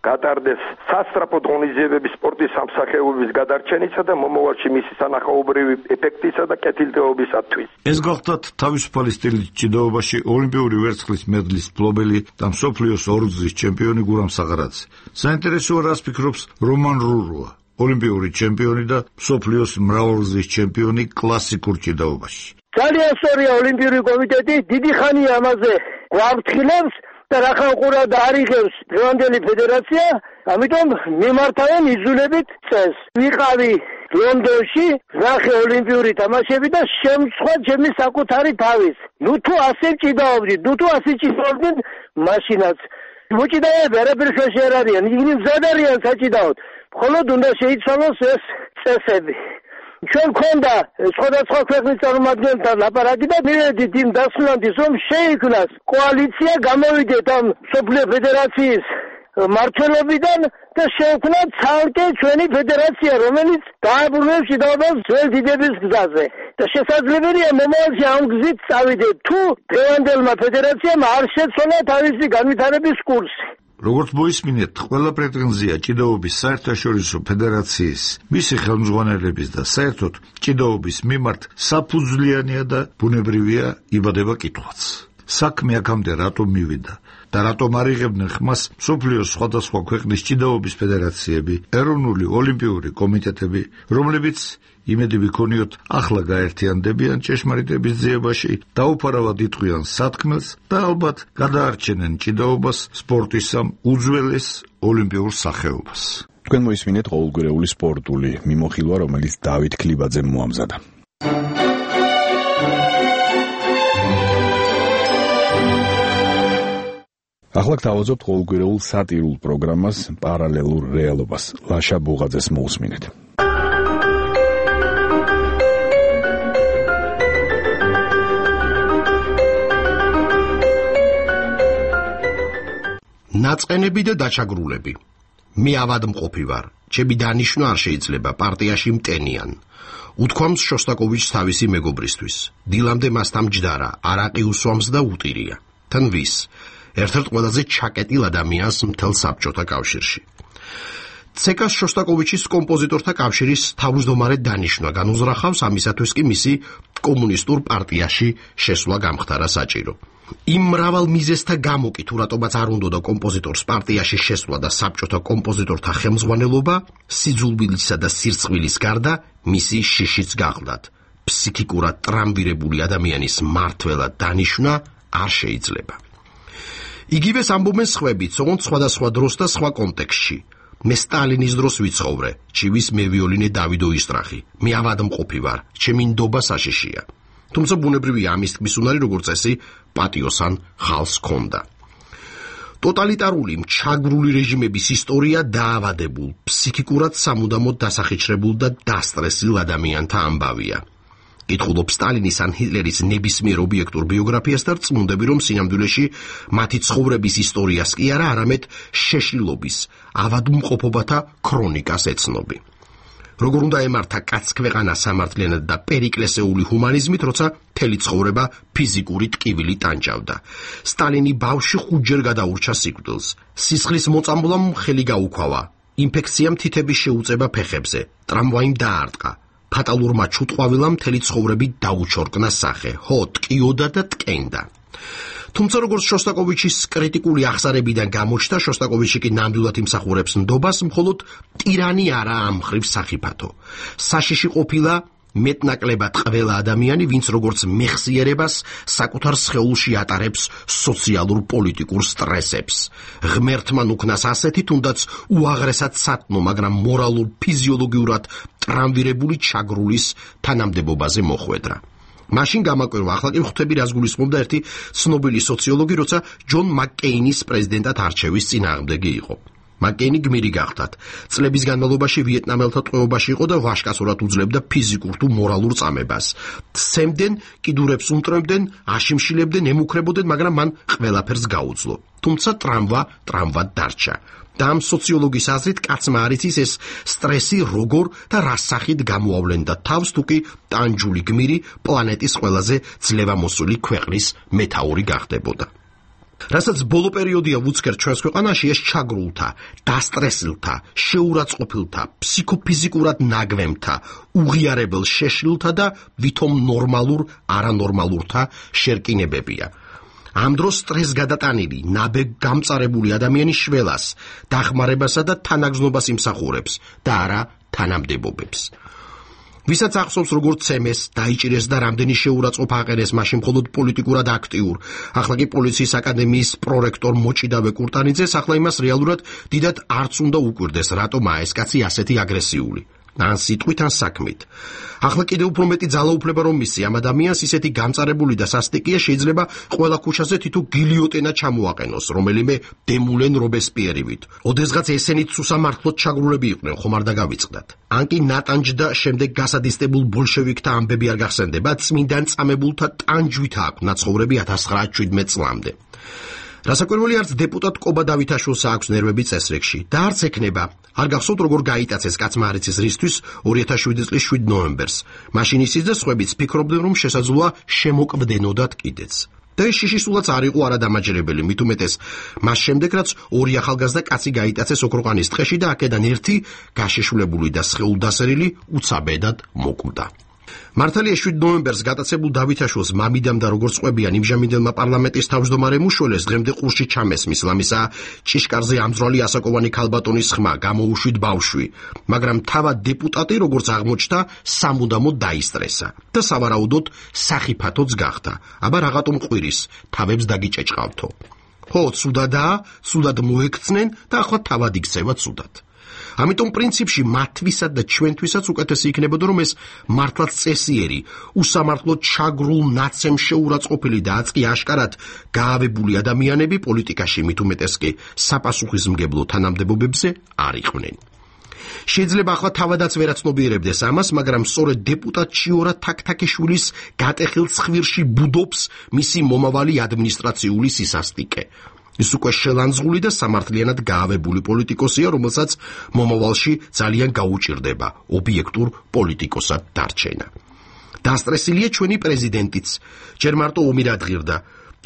გატარდეს სასწრაფოდ ღონისძიებების სპორტის სამსახეობების გადარჩენისა და მომავალში მისი სანახაობრივი ეფექტისა და კეთილდღეობისათვის. ეს გახლავთ თავისუფალი სტილის ჭიდაობაში ოლიმპიური ვერცხლის მედლის მფლობელი და მსოფლიოს ორგზის ჩემპიონი გურამ საღარაძე. საინტერესოა, რას ფიქრობს რომან რურუა, ოლიმპიური ჩემპიონი და მსოფლიოს მრავალგზის ჩემპიონი კლასიკურ ჭიდაობაში. ძალიან სწორია, ოლიმპიური კომიტეტი დიდი ხანია ამაზე გვაფრთხილებს და რახანყურა და არიღებს დღევანდელი ფედერაცია, ამიტომ მიმართავენ იძულებით წესს. ვიყავი ლონდონში, ნახე ოლიმპიური თამაშები და შემცხვდა ჩემი საკუთარი თავის. ნუ თუ ასე ჭიდაობდით, ნუ თუ ასე ჭიდაობდით, მაშინაც მოჭიდაები არაფერს არ არიან, ისინი მზად არიან საჭიდაოდ. მხოლოდ უნდა შეიცვალოს ეს წესები. ჩვენ გქონდა სხვადასხვა ქვეყნის წარმომადგენელთან ლაპარაკი და მივედით იმ დასკვნამდე, რომ შეიქმნას კოალიცია, გამოვიდეთ ამ მსოფლიო ფედერაციის მმართველობიდან და შეექმნა ცალკე ჩვენი ფედერაცია, რომელიც დააბრუნებს ჭიდაობას ძველ დიდების გზაზე. და შესაძლებელია მომავალში ამ გზით წავიდეთ, თუ დღევანდელმა ფედერაციამ არ შეცვალა თავისი განვითარების კურსი. როგორც მოისმინეთ, ყველა პრეტენზია ჭიდაობის საერთაშორისო ფედერაციის, მისი ხელმძღვანელების და საერთოდ ჭიდაობის მიმართ საფუძვლიანია და ბუნებრივია იბადება კითხვაც. საქმე აქამდე რატომ მივიდა და რატომ არ იღებდნენ ხმას მსოფლიოს სხვადასხვა ქვეყნის ჭიდაობის ფედერაციები, ეროვნული ოლიმპიური კომიტეტები, რომლებიც იმედი ვიქონიოთ ახლა გაერთიანდებიან ჭეშმარიტების ძიებაში, დაუფარავად იტყვიან სათქმელს და ალბათ გადაარჩენენ ჭიდაობას სპორტის ამ უძველეს ოლიმპიურ სახეობას. თქვენ მოისმინეთ ყოველგვარეული სპორტული მიმოხილვა, რომელიც დავით ქლიბაძემ მოამზადა. ახლა გთავაზობთ ყოველგვარეულ სატირულ პროგრამას პარალელურ რეალობას. ლაშა ბუღაძეს მოусმინეთ. ნაწყენები და დაჩაგრულები. მე ავადმყოფი ვარ, ჩემი დანიშვნა არ შეიძლება პარტიაში მტენიან. უთქვამს შოსტაკოვიჩს თავისი მეგობრისთვის. დილამდე მასთან მჯდარა, არაყი უსვამს და უტირია. თან ვის? ერთ-ერთ ყველაზე ჩაკეტილ ადამიანს მთელ საბჭოთა კავშირში. ცეკას შოსტაკოვიჩის კომპოზიტორთა კავშირის თავმჯდომარე დანიშვნა განუზრახავს, ამისათვის კი მისი კომუნისტურ პარტიაში შესვლა გამხდარა საჭირო. იმ მრავალ მიზეზთა გამო კი თუ რატომაც არ უნდოდა კომპოზიტორს პარტიაში შესვლა და საბჭოთა კომპოზიტორთა ხელმძღვანელობა, სიძულვილისა და სირცხვილის გარდა მისი შიშიც გახლდათ. ფსიქიკურად ტრამვირებული ადამიანის მმართველად დანიშვნა არ შეიძლება. იგივეს ამბობენ სხვაებიც, ოღონდ სხვადასხვა დროს და სხვა კონტექსტში. მე სტალინის დროს ვიცხოვრე, ჩივის მევიოლინე დავიდო ისტრახი. მე ავადმყოფი ვარ, ჩემი ნდობა საშიშია. თუმცა ბუნებრივია ამის თქმის უნარი, როგორც წესი, პატიოსან ხალხს ჰქონდა. ტოტალიტარული მჩაგვრული რეჟიმების ისტორია დაავადებულ, ფსიქიკურად სამუდამოდ დასახიჩრებულ და დასტრესილ ადამიანთა ამბავია. კითხულობ სტალინის ან ჰიტლერის ნებისმიერ ობიექტურ ბიოგრაფიას და რწმუნდები, რომ სინამდვილეში მათი ცხოვრების ისტორიას კი არა, არამედ შეშლილობის, ავადმყოფობათა ქრონიკას ეცნობი. როგორ უნდა ემართა კაცქვეყანა სამართლიანად და პერიკლესეული ჰუმანიზმით, როცა მთელი ცხოვრება ფიზიკური ტკივილი ტანჯავდა. სტალინი ბავშვი ხუთჯერ გადაურჩა სიკვდილს. სისხლის მოწამვლამ ხელი გაუქვავა. ინფექციამ თითების შეუწება ფეხებზე. ტრამვაიმ დაარტყა. ფატალურმა ჩუტყვავილამ მთელი ცხოვრები დაუჩორკნა სახე, ხო, ტკიოდა და ტკენდა. თუმცა როგორც შოსტაკოვიჩის კრიტიკული აღსარებიდან გამოჩნდა, შოსტაკოვიჩი კი ნამდვილად იმსახურებს ნდობას, მხოლოდ ტირანი არა ამ მხრივ სახიფათო. საშიში ყოფილა მეტნაკლებად ყველა ადამიანი, ვინც როგორც მეხსიერებას საკუთარ სხეულში ატარებს სოციალურ პოლიტიკურ სტრესებს. ღმერთმან უქნას ასეთი, თუნდაც უაღრესად სათნო, მაგრამ მორალურ ფიზიოლოგიურად ტრამვირებული ჩაგრულის თანამდებობაზე მოხვედრა. მაშინ გამაკვირვა, ახლა კი ხვდები რას გულისხმობდა ერთი ცნობილი სოციოლოგი, როცა ჯონ მაკკეინის პრეზიდენტად არჩევის წინააღმდეგი იყო. მაკკეინი გმირი გახდათ. წლების განმავლობაში ვიეტნამელთა ტყვეობაში იყო და ვაჟკაცურად უძლებდა ფიზიკურ თუ მორალურ წამებას. სცემდნენ, კიდურებს უმტრემდნენ, აშიმშილებდნენ, ემუქრებოდნენ, მაგრამ მან ყველაფერს გაუძლო. თუმცა ტრამვა ტრამვად დარჩა. და ამ სოციოლოგის აზრით კაცმა არ იცის ეს სტრესი როგორ და რა სახით გამოავლენდა თავს, თუ კი ტანჯული გმირი პლანეტის ყველაზე ძლევამოსული ქვეყნის მეთაური გახდებოდა. რასაც ბოლო პერიოდია ვუცქერთ ჩვენს ქვეყანაში, ეს ჩაგრულთა, დასტრესილთა, შეურაცხყოფილთა, ფსიქოფიზიკურად ნაგვემთა, უღიარებელ შეშლილთა და ვითომ ნორმალურ არანორმალურთა შერკინებებია. ამ დროს სტრესს გადატანილი, ნაბეღ გამწარებული ადამიანი შველას, დახმარებასა და თანაგზნობას იმსახურებს და არა თანამდებობებს. ვისაც ახსოვს როგორც ცემეს, დაიჭირეს და რამდენი შეურაცხყოფ აყენეს მაშინ მხოლოდ პოლიტიკურად აქტიურ, ახლა კი პოლიციის აკადემიის პრორექტორ მოჭიდავე კურტანიძეს, ახლა იმას რეალურად დიდად არც უნდა უკვირდეს, რატომ ეს კაცი ასეთი აგრესიული. ან სიტყვით, ან საქმით. ახლა კიდევ უფრო მეტი ძალაუფლება რომ მისცი ამ ადამიანს, ისეთი გამწარებული და სასტიკია, შეიძლება ყველა ქუჩაზე თითო გილიოტენა ჩამოაყენოს, რომელიმე დემულენ რობესპიერივით. ოდესღაც ესენით სუსამართლოდ ჩაგრულები იყვნენ, ხომ არ დაგავიწყდათ. ან კი ნატანჯ და შემდეგ გასადისტებულ ბოლშევიკთა ამბები არ გახსენდება, წმინდან წამებულთა ტანჯვით აქვს ნაცხოვრები ათას ცხრაასი შვიდმეტ წლამდე. რასაკვირველი არც დეპუტატ კობა დავითაშვილს აქვს ნერვები წესრიგში და არც ექნება. არ გახსოვთ როგორ გაიტაცეს კაცმა არ იცის რისთვის ორი ათას შვიდი წლის შვიდ ნოემბერს. მაშინ ისიც და სხვაებიც ფიქრობდნენ, რომ შესაძლოა შემოკვდენოდათ კიდეც. და ეს შიში სულაც არ იყო არადამაჯერებელი, მით უმეტეს მას შემდეგ, რაც ორი ახალგაზრდა კაცი გაიტაცეს ოქროყანის ტყეში და აქედან ერთი გაშიშვლებული და სხეულდასერილი უცაბედად მოკვდა. მართალია შვიდ ნოემბერს გატაცებულ დავითაშვილს მამიდამ და როგორც ყვებიან იმჟამინდელმა პარლამენტის თავმჯდომარე მუშველეს დღემდე ყურში ჩამესმის, ლამისა ჭიშკარზე ამძრალი ასაკოვანი ქალბატონის ხმა, გამოუშვით ბავშვი, მაგრამ თავად დეპუტატი როგორც აღმოჩნდა სამუდამოდ დაისტრესა და სავარაუდოდ სახიფათოც გახდა. აბა რაღაცომ ყვირის, თავებს დაგიჭეჭყავთო. ხო, ცუდადაა, ცუდად მოექცნენ და ახლა თავად იქცევა ცუდად. ამიტომ პრინციპში მათთვისად და ჩვენთვისაც უკეთესი იქნებოდა, რომ ეს მართლაც წესიერი, უსამართლოდ ჩაგრულ ნაცემ შეურაცხყოფილი და აწკი აშკარად გაავებული ადამიანები პოლიტიკაში, მით უმეტეს კი საპასუხისმგებლო თანამდებობებზე არ იყვნენ. შეიძლება ახლა თავადაც ვერაცნობიერებდეს ამას, მაგრამ სწორედ დეპუტატ ჩიორა თაქთაქიშვილის გატეხილ ცხვირში ბუდობს მისი მომავალი ადმინისტრაციული სისასტიკე. ის უკვე შელანძღული და სამართლიანად გაავებული პოლიტიკოსია, რომელსაც მომავალში ძალიან გაუჭირდება ობიექტურ პოლიტიკოსად დარჩენა. დასტრესილია ჩვენი პრეზიდენტიც, ჯერ მარტო ომი რადგირდა.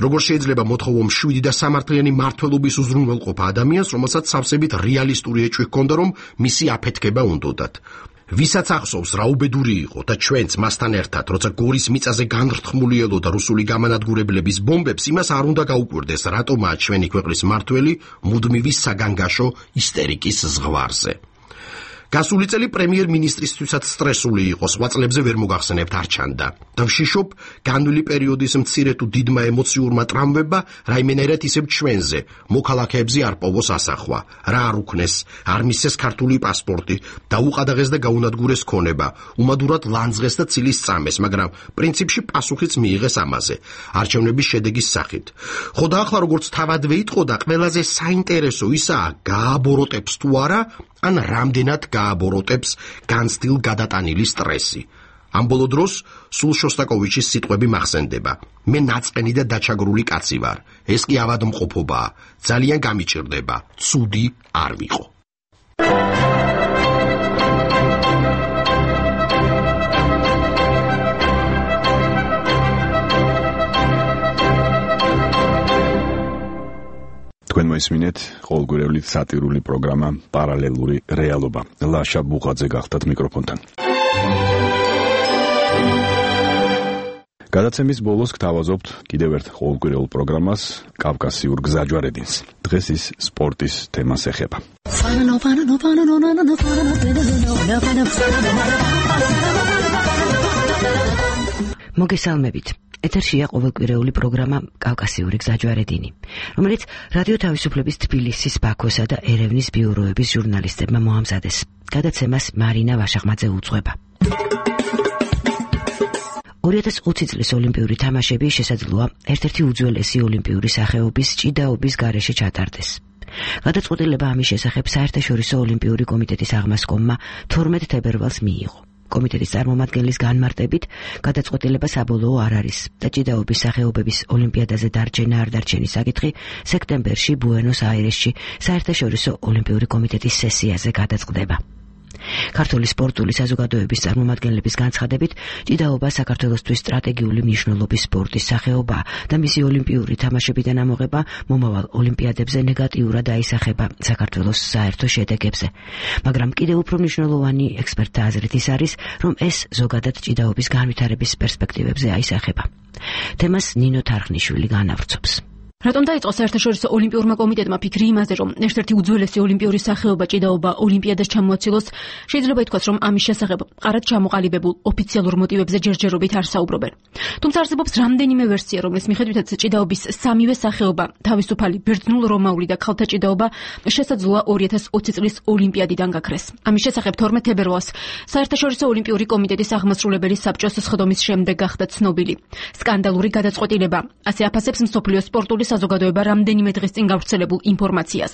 როგორ შეიძლება მოთხოვო მშვიდი და სამართლიანი მმართველობის უზრუნველყოფა ადამიანს, რომელსაც სავსებით რეალისტური ეჭვი ჰქონდა, რომ მისი აფეთქება უნდოდათ. ვისაც ახსოვს რა უბედური იყო და ჩვენც მასთან ერთად, როცა გორის მიწაზე განრთმული ელოდა რუსული გამანადგურებლების ბომბებს, იმას არ უნდა გაუკვირდეს, რატომაა ჩვენი ქვეყნის მმართველი მუდმივი საგანგაშო ისტერიკის ზღვარზე. გასული წელი პრემიერ-მინისტრისთვისაც სტრესული იყო, სხვა წლებზე ვერ მოგახსენებთ არ ჩანდა. და ვშიშობ, განვლილი პერიოდის მცირე თუ დიდმა ემოციურმა ტრამვებმა რაიმენერად ისევ ჩვენზე, მოქალაქეებზე არ პოვოს ასახვა, რა არ უქნეს, არ მისცეს ქართული პასპორტი, დაუყადაღეს და გაუნადგურეს ქონება, უმადურად ლანძღეს და ცილის წამეს, მაგრამ პრინციპში პასუხიც მიიღეს ამაზე, არჩევნების შედეგის სახით. ხო და ახლა როგორც თავადვე იტყოდა, ყველაზე საინტერესო ისაა, გააბოროტებს თუ არა, ან რამდენად გააბოროტებს განცდილ გადატანილი სტრესი. ამ ბოლო დროს სულ შოსტაკოვიჩის სიტყვები მახსენდება. მე ნაწყენი და დაჩაგრული კაცი ვარ. ეს კი ავადმყოფობაა. ძალიან გამიჭირდება. ცუდი არ ვიყო. თქვენ მოისმინეთ ყოველგვარეული სატირული პროგრამა პარალელური რეალობა. ლაშა ბუღაძე გახდათ მიკროფონთან. გადაცემის ბოლოს გთავაზობთ კიდევ ერთ ყოველკვირეულ პროგრამას კავკასიურ გზაჯვარედინს. დღეს ის სპორტის თემას ეხება. მოგესალმებით. ეთერშია ყოველკვირეული პროგრამა კავკასიური გზაჯვარედინი, რომელიც რადიო თავისუფლების თბილისის, ბაქოსა და ერევნის ბიუროების ჟურნალისტებმა მოამზადეს. გადაცემას მარინა ვაშახმაძე უძღვება. ორი ათას ოცი წლის ოლიმპიური თამაშები შესაძლოა ერთ-ერთი უძველესი ოლიმპიური სახეობის ჭიდაობის გარეშე ჩატარდეს. გადაწყვეტილება ამის შესახებ საერთაშორისო ოლიმპიური კომიტეტის აღმასკომმა თორმეტ თებერვალს მიიღო. კომიტეტის წარმომადგენლის განმარტებით, გადაწყვეტილება საბოლოო არ არის და ჭიდაობის სახეობების ოლიმპიადაზე დარჩენა არ დარჩენის საკითხი სექტემბერში ბუენოს-აირესში საერთაშორისო ოლიმპიური კომიტეტის სესიაზე გადაწყდება. ქართული სპორტული საზოგადოების წარმომადგენლების განცხადებით, ჭიდაობა საქართველოსთვის სტრატეგიული მნიშვნელობის სპორტის სახეობაა და მისი ოლიმპიური თამაშებიდან ამოღება მომავალ ოლიმპიადებზე ნეგატიურად აისახება საქართველოს საერთო შედეგებზე. მაგრამ კიდევ უფრო მნიშვნელოვანი ექსპერტთა აზრით ის არის, რომ ეს ზოგადად ჭიდაობის განვითარების პერსპექტივებზე აისახება. თემას ნინო თარხნიშვილი განავრცობს. რატომ დაიწყო საერთაშორისო ოლიმპიურმა კომიტეტმა ფიქრი იმაზე, რომ ერთ-ერთი უძველესი ოლიმპიური სახეობა ჭიდაობა ოლიმპიადას ჩამოაცილოს, შეიძლება ითქვას, რომ ამის შესახებ მყარად ჩამოყალიბებულ ოფიციალურ მოტივებზე ჯერჯერობით არ საუბრობენ. თუმცა არსებობს რამდენიმე ვერსია, რომლის მიხედვითაც ჭიდაობის სამივე სახეობა, თავისუფალი ბერძნულ რომაული და ქალთა ჭიდაობა შესაძლოა ორი ათას ოცი წლის ოლიმპიადიდან გაქრეს. ამის შესახებ თორმეტ თებერვალს საერთაშორისო ოლიმპიური კომიტეტის აღმასრულებელი საბჭოს სხდომის შემდეგ გახდა ცნობილი. სკანდალური გადაწყვეტილება, ასე აფასებს მსოფლიო სპორტული საზოგადოება რამდენიმე დღის წინ გავრცელებულ ინფორმაციას.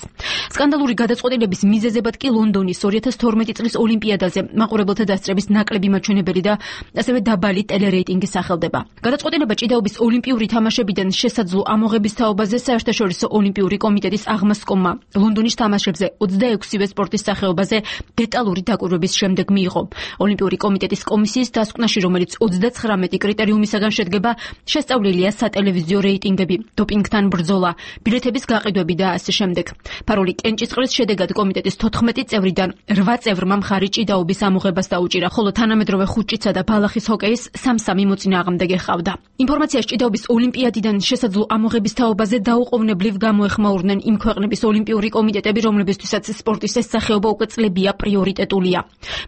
სკანდალური გადაწყვეტილების მიზეზებად კი ლონდონის ორი ათას თორმეტი წლის ოლიმპიადაზე მაყურებელთა დასწრების ნაკლები მაჩვენებელი და ასევე დაბალი ტელერეიტინგი სახელდება. გადაწყვეტილება ჭიდაობის ოლიმპიური თამაშებიდან შესაძლო ამოღების თაობაზე საერთაშორისო ოლიმპიური კომიტეტის აღმასკომმა ლონდონის თამაშებზე ოცდაექვსივე სპორტის სახეობაზე დეტალური დაკვირვების შემდეგ მიიღო. ოლიმპიური კომიტეტის კომისიის დასკვნაში, რომელიც ოცდაცხრამეტი კრიტერიუმისაგან შედგება, შესწავლილია სატელევიზიო რეიტინგები, დოპინგთან ბრძოლა, ბილეთების გაყიდვები და ასე შემდეგ. ფარული კენჭისყრის შედეგად კომიტეტის თოთხმეტი წევრიდან რვა წევრმა მხარი ჭიდაობის ამოღებას დაუჭირა, ხოლო თანამედროვე ხუჭიცა და ბალახის ჰოკეის სამ-სამი მოწინააღმდეგე ჰყავდა. ინფორმაციას ჭიდაობის ოლიმპიადიდან შესაძლო ამოღების თაობაზე დაუყოვნებლივ გამოეხმაურნენ იმ ქვეყნების ოლიმპიური კომიტეტები, რომლებისთვისაც სპორტის ეს სახეობა უკვე წლებია პრიორიტეტულია.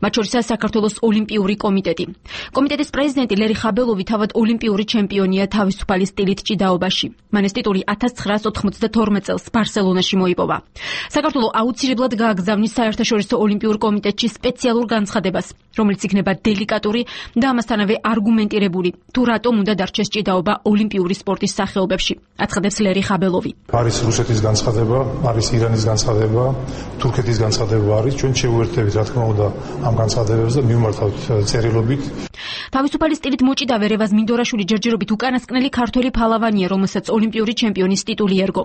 მათ შორისაა საქართველოს ოლიმპიური კომიტეტი. კომიტეტის პრეზიდენტი ლერი ხაბელოვი თავად ოლიმპიური ჩემპიონია თავისუფალი სტილით ჭიდაობაში. მან ეს ტიტული ათას ცხრაას ოთხმოცდათორმეტ წელს ბარსელონაში მოიპოვა. საქართველო აუცილებლად გააგზავნის საერთაშორისო ოლიმპიურ კომიტეტში სპეციალურ განცხადებას, რომელიც იქნება დელიკატური და ამასთანავე არგუმენტირებული, თუ რატომ უნდა დარჩეს ჭიდაობა ოლიმპიური სპორტის სახეობებში, აცხადებს ლერი ხაბელოვი. არის რუსეთის განცხადება, არის ირანის განცხადება, თურქეთის განცხადება არის, ჩვენ შევუერთდებით რა თქმა უნდა ამ განცხადებებს და მივმართავთ წერილობით. თავისუფალი სტილით მოჭიდავე რევაზ მინდორაშვილი ჯერჯერობით უკანასკნელი ქართველი ფალავანია, რომელსაც ოლიმპიური ჩემპიონის ტიტული ერგო.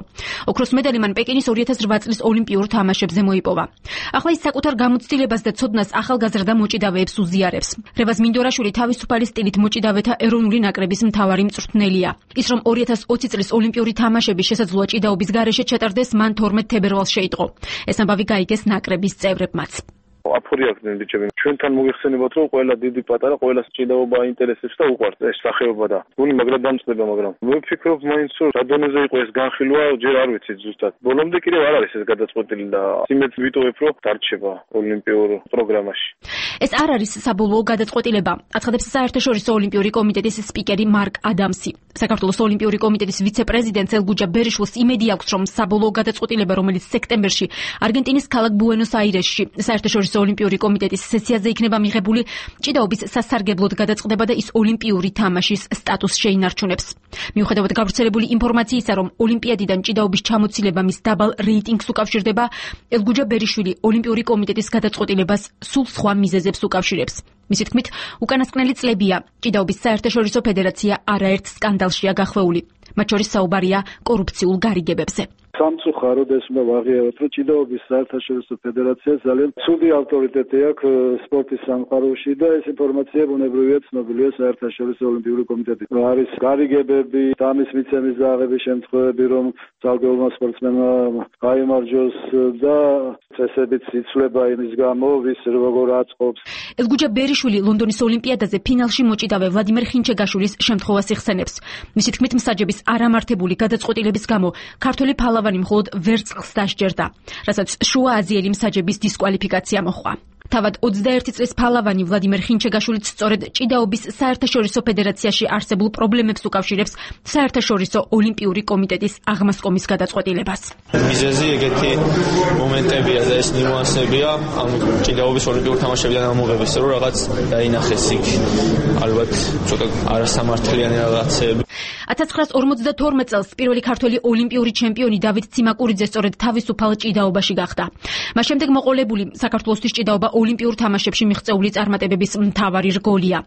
ოქროს მედალი მან პეკინის ორი ათას რვა წლის ოლიმპიურ თამაშებზე მოიპოვა. ახლა ის საკუთარ გამოცდილებას და ცოდნას ახალგაზრდა მოჭიდავეებს უზიარებს. რევაზ მინდორაშვილი თავისუფალი სტილით მოჭიდავეთა ეროვნული ნაკრების მთავარი მწვრთნელია. ის რომ ორი ათას ოცი წლის ოლიმპიური თამაშები შესაძლოა ჭიდაობის გარეშე ჩატარდეს, მან თორმეტ თებერვალს შეიტყო. ეს ამბავი გაიგეს ნაკრების წევრებმაც. აფორიახდნენ ბიჭები. ჩვენთან მოგეხსენებათ, რომ ყველა დიდი პატარა, ყველა ჭიდაობა აინტერესებს და უყვარს ეს სახეობა და გული მაგრად დამწყდება, მაგრამ მე ვფიქრობ, მაინც რომ რა დონეზე იყო ეს განხილვა, ჯერ არ ვიცი ზუსტად. ბოლომდე კიდევ არ არის ეს გადაწყვეტილი და იმედს ვიტოვებ, რომ დარჩება ოლიმპიურ პროგრამაში. ეს არ არის საბოლოო გადაწყვეტილება, აცხადებს საერთაშორისო ოლიმპიური კომიტეტის სპიკერი მარკ ადამსი. საქართველოს ოლიმპიური კომიტეტის ვიცე-პრეზიდენტ ელგუჯა ბერიშვილს იმედი აქვს, რომ საბოლოო გადაწყვეტილება, რომელიც სექტემბერში არგენტინის ქალაქ ბუენოს-აირესში საერთაშორისო ოლიმპიური კომიტეტის სესიაზე იქნება მიღებული, ჭიდაობის სასარგებლოდ გადაწყდება და ის ოლიმპიური თამაშის სტატუსს შეინარჩუნებს. მიუხედავად გავრცელებული ინფორმაციისა, რომ ოლიმპიადიდან ჭიდაობის ჩამოცილება მის დაბალ რეიტინგს უკავშირდება, ელგუჯა ბერიშვილი ოლიმპიური კომიტეტის გადაწყვეტილებას სულ სხვა მიზეზებს უკავშირებს. მისი თქმით, უკანასკნელი წლებია ჭიდაობის საერთაშორისო ფედერაცია არაერთ სკანდალშია გახვეული. მათ შორის საუბარია კორუფციულ გარიგებებზე. სამწუხაროდ ეს უნდა ვაღიაროთ, რომ ჭიდაობის საერთაშორისო ფედერაცია ძალიან ცუდი ავტორიტეტი აქვს სპორტის სამყაროში და ეს ინფორმაცია ბუნებრივია ცნობილია საერთაშორისო ოლიმპიური კომიტეტით. არის გარიგებები, ამის მიცემის და აღების შემთხვევები, რომ ძალგეულმა სპორტსმენმა გაიმარჯვოს და წესებიც იცვლება იმის გამო, ვის როგორ აწყობს. ელგუჯა ბერიშვილი ლონდონის ოლიმპიადაზე ფინალში მოჭიდავე ვლადიმერ ხინჩეგაშვილის შემთხვევას იხსენებს. მისი თქმით, მსაჯების არამართებული გადაწყვეტილების გამო ქართველი ფალავანი მხოლოდ ვერცხლს დასჯერდა, რასაც შუა აზიელი მსაჯების დისკვალიფიკაცია მოჰყვა. თავად ოცდაერთი წლის ფალავანი ვლადიმერ ხინჩეგაშვილიც სწორედ ჭიდაობის საერთაშორისო ფედერაციაში არსებულ პრობლემებს უკავშირებს საერთაშორისო ოლიმპიური კომიტეტის აღმასკომის გადაწყვეტილებას. მიზეზი ეგეთი მომენტებია და ეს ნიუანსებია ამ ჭიდაობის ოლიმპიურ თამაშებიდან ამოღების, რომ რაღაც დაინახეს იქ ალბათ ცოტა არასამართლიანი რაღაცები. ათას ცხრაასი ორმოცდათორმეტ წელს პირველი ქართველი ოლიმპიური ჩემპიონი დავით ციმაკურიძე სწორედ თავისუფალ ჭიდაობაში გახდა. მას შემდეგ მოყოლებული საქართველოსთვის ჭიდაობა ოლიმპიურ თამაშებში მიღწეული წარმატებების მთავარი რგოლია.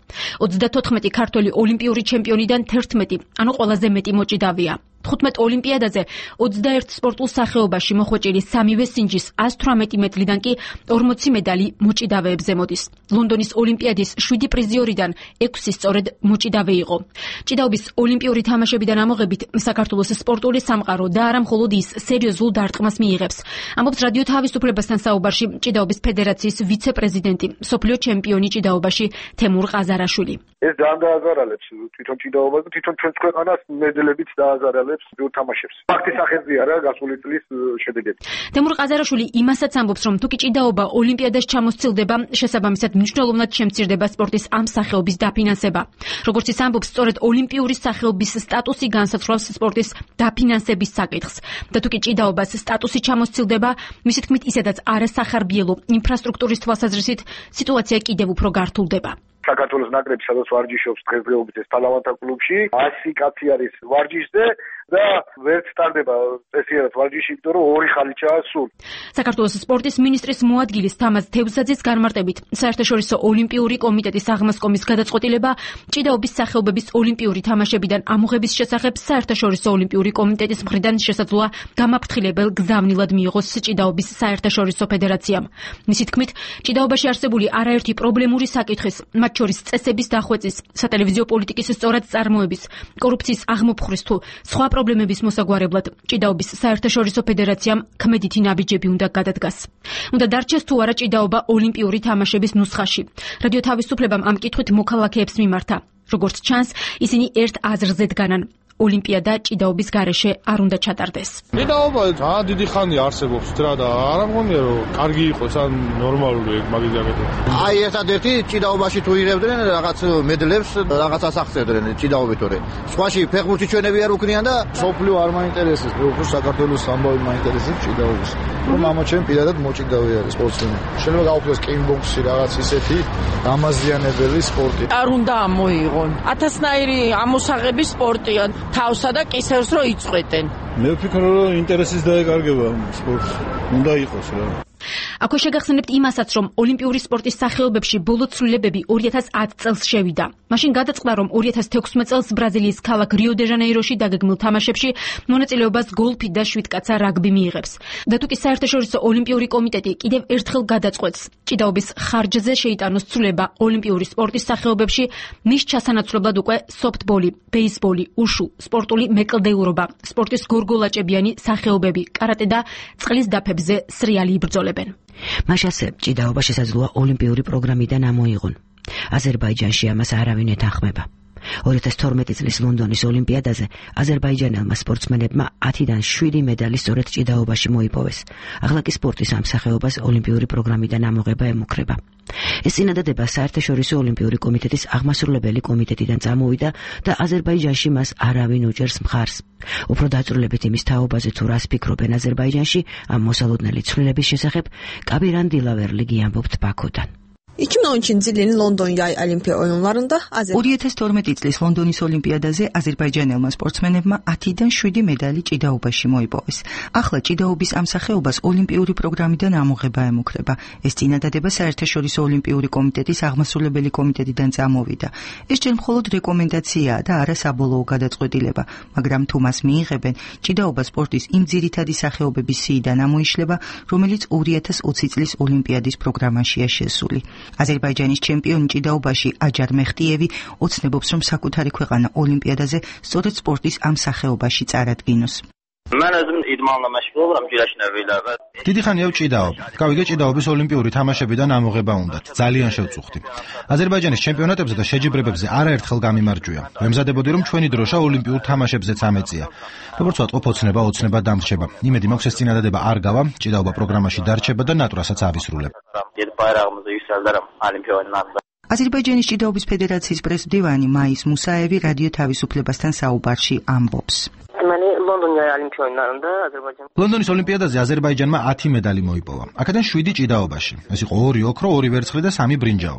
ოცდათოთხმეტი ქართველი ოლიმპიური ჩემპიონიდან თერთმეტი, ანუ ყველაზე მეტი მოჭიდავია. თხუთმეტ ოლიმპიადაზე ოცდაერთ სპორტულ სახეობაში მოხვეჭილი სამივე სინჯის ას თვრამეტი მეტლიდან კი ორმოცი მედალი მოჭიდავეებზე მოდის. ლონდონის ოლიმპიადის შვიდი პრიზიორიდან ექვსი სწორედ მოჭიდავე იყო. ჭიდაობის ოლიმპიური თამაშებიდან ამოღებით საქართველოს სპორტული სამყარო და არა მხოლოდ ის სერიოზულ დარტყმას მიიღებს. ამბობს რადიო თავისუფლებასთან საუბარში ჭიდაობის ფედერაციის ვიცე-პრეზიდენტი, მსოფლიო ჩემპიონი ჭიდაობაში თემურ ყაზარაშვილი. ეს ძალიან დააზარალებს თვითონ ჭიდაობას და თვითონ ჩვენს ქვეყანას მედლებით დააზარალებს თამაშებს. ფაქტის ახერხია რა გასული წლის შედეგები. თემურ ყაზარაშვილი იმასაც ამბობს, რომ თუ კი ჭიდაობა ოლიმპიადაში ჩამოსცილდება, შესაბამისად მნიშვნელოვნად შემცირდება სპორტის ამ სახეობის დაფინანსება. როგორც ის ამბობს, სწორედ ოლიმპიური სახეობის სტატუსი განსაცვლავს სპორტის დაფინანსების საკითხს. და თუ კი ჭიდაობას სტატუსი ჩამოსცილდება, მისი თქმით, ისედაც არასახარბიელო ინფრასტრუქტურის თვალსაზრისით სიტუაცია კიდევ უფრო გართულდება. საქართველოს ნაკრები სადაც ვარჯიშობს დღესდღეობით ეს პალავანთა კლუბში, ასი კაცი არის ვარჯიშზე და ვერც სტარდება წესიერ ვარჯიში, იმიტომ რომ ორი ხალიჩაა სულ. საქართველოს სპორტის მინისტრის მოადგილის თამაზ თევზაძის განმარტებით, საერთაშორისო ოლიმპიური კომიტეტის აღმასკომის გადაწყვეტილება ჭიდაობის სახეობების ოლიმპიური თამაშებიდან ამოღების შესახებ საერთაშორისო ოლიმპიური კომიტეტის მხრიდან შესაძლოა გამაფრთხილებელ გზავნილად მიიღოს ჭიდაობის საერთაშორისო ფედერაციამ. მისი თქმით, ჭიდაობაში არსებული არაერთი პრობლემური საკითხის, მათ შორის წესების დახვეწის, სატელევიზიო პოლიტიკის სწორად წარმოების, კორუფციის აღმოფხვრის თუ სხვა პრობლემების მოსაგვარებლად ჭიდაობის საერთაშორისო ფედერაციამ ქმედითი ნაბიჯები უნდა გადადგას. უნდა დარჩეს თუ არა ჭიდაობა ოლიმპიური თამაშების ნუსხაში. რადიო თავისუფლებამ ამ კითხვით მოქალაქეებს მიმართა. როგორც ჩანს, ისინი ერთ აზრზე დგანან. ოლიმპიადა ჭიდაობის გარეშე არ უნდა ჩატარდეს. ჭიდაობა ძალიან დიდი ხანია არსებობს რა და არ მგონია რომ კარგი იყოს ან ნორმალური ეგ მაგის აკეთება. აი ერთადერთი ჭიდაობაში თუ იღებდნენ რაღაც მედლებს, რაღაცას აღწევდნენ ჭიდაობითორე. სხვაში ფეხბურთი ჩვენები არ უქნიან და სოფლიო არ მაინტერესებს, უფრო საქართველოს ამბავი მაინტერესებს ჭიდაობის. რომ მამა ჩემ პირადად მოჭიდავე არის სპორტსმენი. შეიძლება გავუქმდეს კიკბოქსი რაღაც ისეთი დამაზიანებელი სპორტი. არ უნდა ამოიღონ. ათასნაირი ამოსაღების სპორტია. თავსა და კისერს რო იწყვეტენ. მე ვფიქრობ, რომ ინტერესის დაეკარგება სპორტს. უნდა იყოს რა. აქვე შეგახსენებთ იმასაც, რომ ოლიმპიური სპორტის სახეობებში ბოლო ცვლილებები ორი ათას ათი წელს შევიდა. მაშინ გადაწყდა, რომ ორი ათას თექვსმეტ წელს ბრაზილიის ქალაქ რიო-დე-ჟანეიროში დაგეგმილ თამაშებში მონაწილეობას გოლფი და შვიდკაცა რაგბი მიიღებს. და თუ კი საერთაშორისო ოლიმპიური კომიტეტი კიდევ ერთხელ გადაწყვეტს, ჭიდაობის ხარჯზე შეიტანოს ცვლილება ოლიმპიური სპორტის სახეობებში, მის ჩასანაცვლებლად უკვე სოფტბოლი, ბეისბოლი, უშუ, სპორტული მეკლდეურობა, სპორტის გორგოლაჭებიანი სახეობები, კარატე და წყლის დაფებზე სრიალი იბრძოლება. მას ასე ჭიდაობა შესაძლოა ოლიმპიური პროგრამიდან ამოიღონ. აზერბაიჯანში ამას არავინ ეთანხმება. ორი ათას თორმეტი წლის ლონდონის ოლიმპიადაზე აზერბაიჯანელმა სპორტსმენებმა ათიდან შვიდი მედალი სწორედ ჭიდაობაში მოიპოვეს. ახლა კი სპორტის ამ სახეობას ოლიმპიური პროგრამიდან ამოღება ემუქრება. ეს წინადადება საერთაშორისო ოლიმპიური კომიტეტის აღმასრულებელი კომიტეტიდან წამოვიდა და აზერბაიჯანში მას არავინ უჭერს მხარს. უფრო დაწვრილებით იმის თაობაზე თუ რას ფიქრობენ აზერბაიჯანში ამ მოსალოდნელი ცვლილების შესახებ, კაბირან დილავერლიგი ამბობთ ბაქოდან. iki bin on ikinci ilin London yay olimpiya oyunlarında ორი ათას თორმეტი წლის ლონდონის ოლიმპიადაზე აზერბაიჯანელმა სპორტსმენებმა ათიდან შვიდი მედალი ჭიდაობაში მოიპოვეს. ახლა ჭიდაობის ამ სახეობას ოლიმპიური პროგრამიდან ამოღება ემუქრება. ეს წინადადება საერთაშორისო ოლიმპიური კომიტეტის აღმასრულებელი კომიტეტიდან წამოვიდა. ეს ჯერ მხოლოდ რეკომენდაციაა და არა საბოლოო გადაწყვეტილება, მაგრამ თუ მას მიიღებენ, ჭიდაობა სპორტის იმ ძირითადი სახეობების სიიდან ამოიშლება, რომელიც ორი ათას ოცი წლის ოლიმპიადის პროგრამაშია შესული. აზერბაიჯანის ჩემპიონი ჭიდაობაში აჯარ მეხტიევი ოცნებობს, რომ საკუთარი ქვეყანა ოლიმპიადაზე სწორედ სპორტის ამ სახეობაში წარადგინოს. Mən özüm idmanla məşğul oluram güləşnəvilərdə. დიდი ხანია ვჭიდაობ. გავიგე ჭიდაობის ოლიმპიური თამაშებიდან ამოღება უნდათ. ძალიან შევწუხდი. აზერბაიჯანის ჩემპიონატებზე და შეჯიბრებებზე არაერთხელ გამიმარჯვია. ვემზადებოდი, რომ ჩვენი დროშა ოლიმპიურ თამაშებზეც ამეწია. როგორც ვატყობ, ოცნება ოცნება დამრჩება. იმედი მაქვს, ეს წინადადება არ გავა, ჭიდაობა პროგრამაში დარჩება და ნატურასაც ავისრულებ. Gedib bayrağımızı yüksəldərəm olimpiya oyunlarında. აზერბაიჯანის ჭიდაობის ფედერაციის პრეზიდენტი მაის მუსაევი რადიო თავისუფლებასთან საუბარში ამბობს. Deməli, London yay olimpiya oyunlarında Azərbaycan ლონდონის ოლიმპიადაზე აზერბაიჯანმა ათი მედალი მოიპოვა. აქედან შვიდი ჭიდაობაში. ეს იყო ორი ოქრო, ორი ვერცხლი და სამი ბრინჯაო.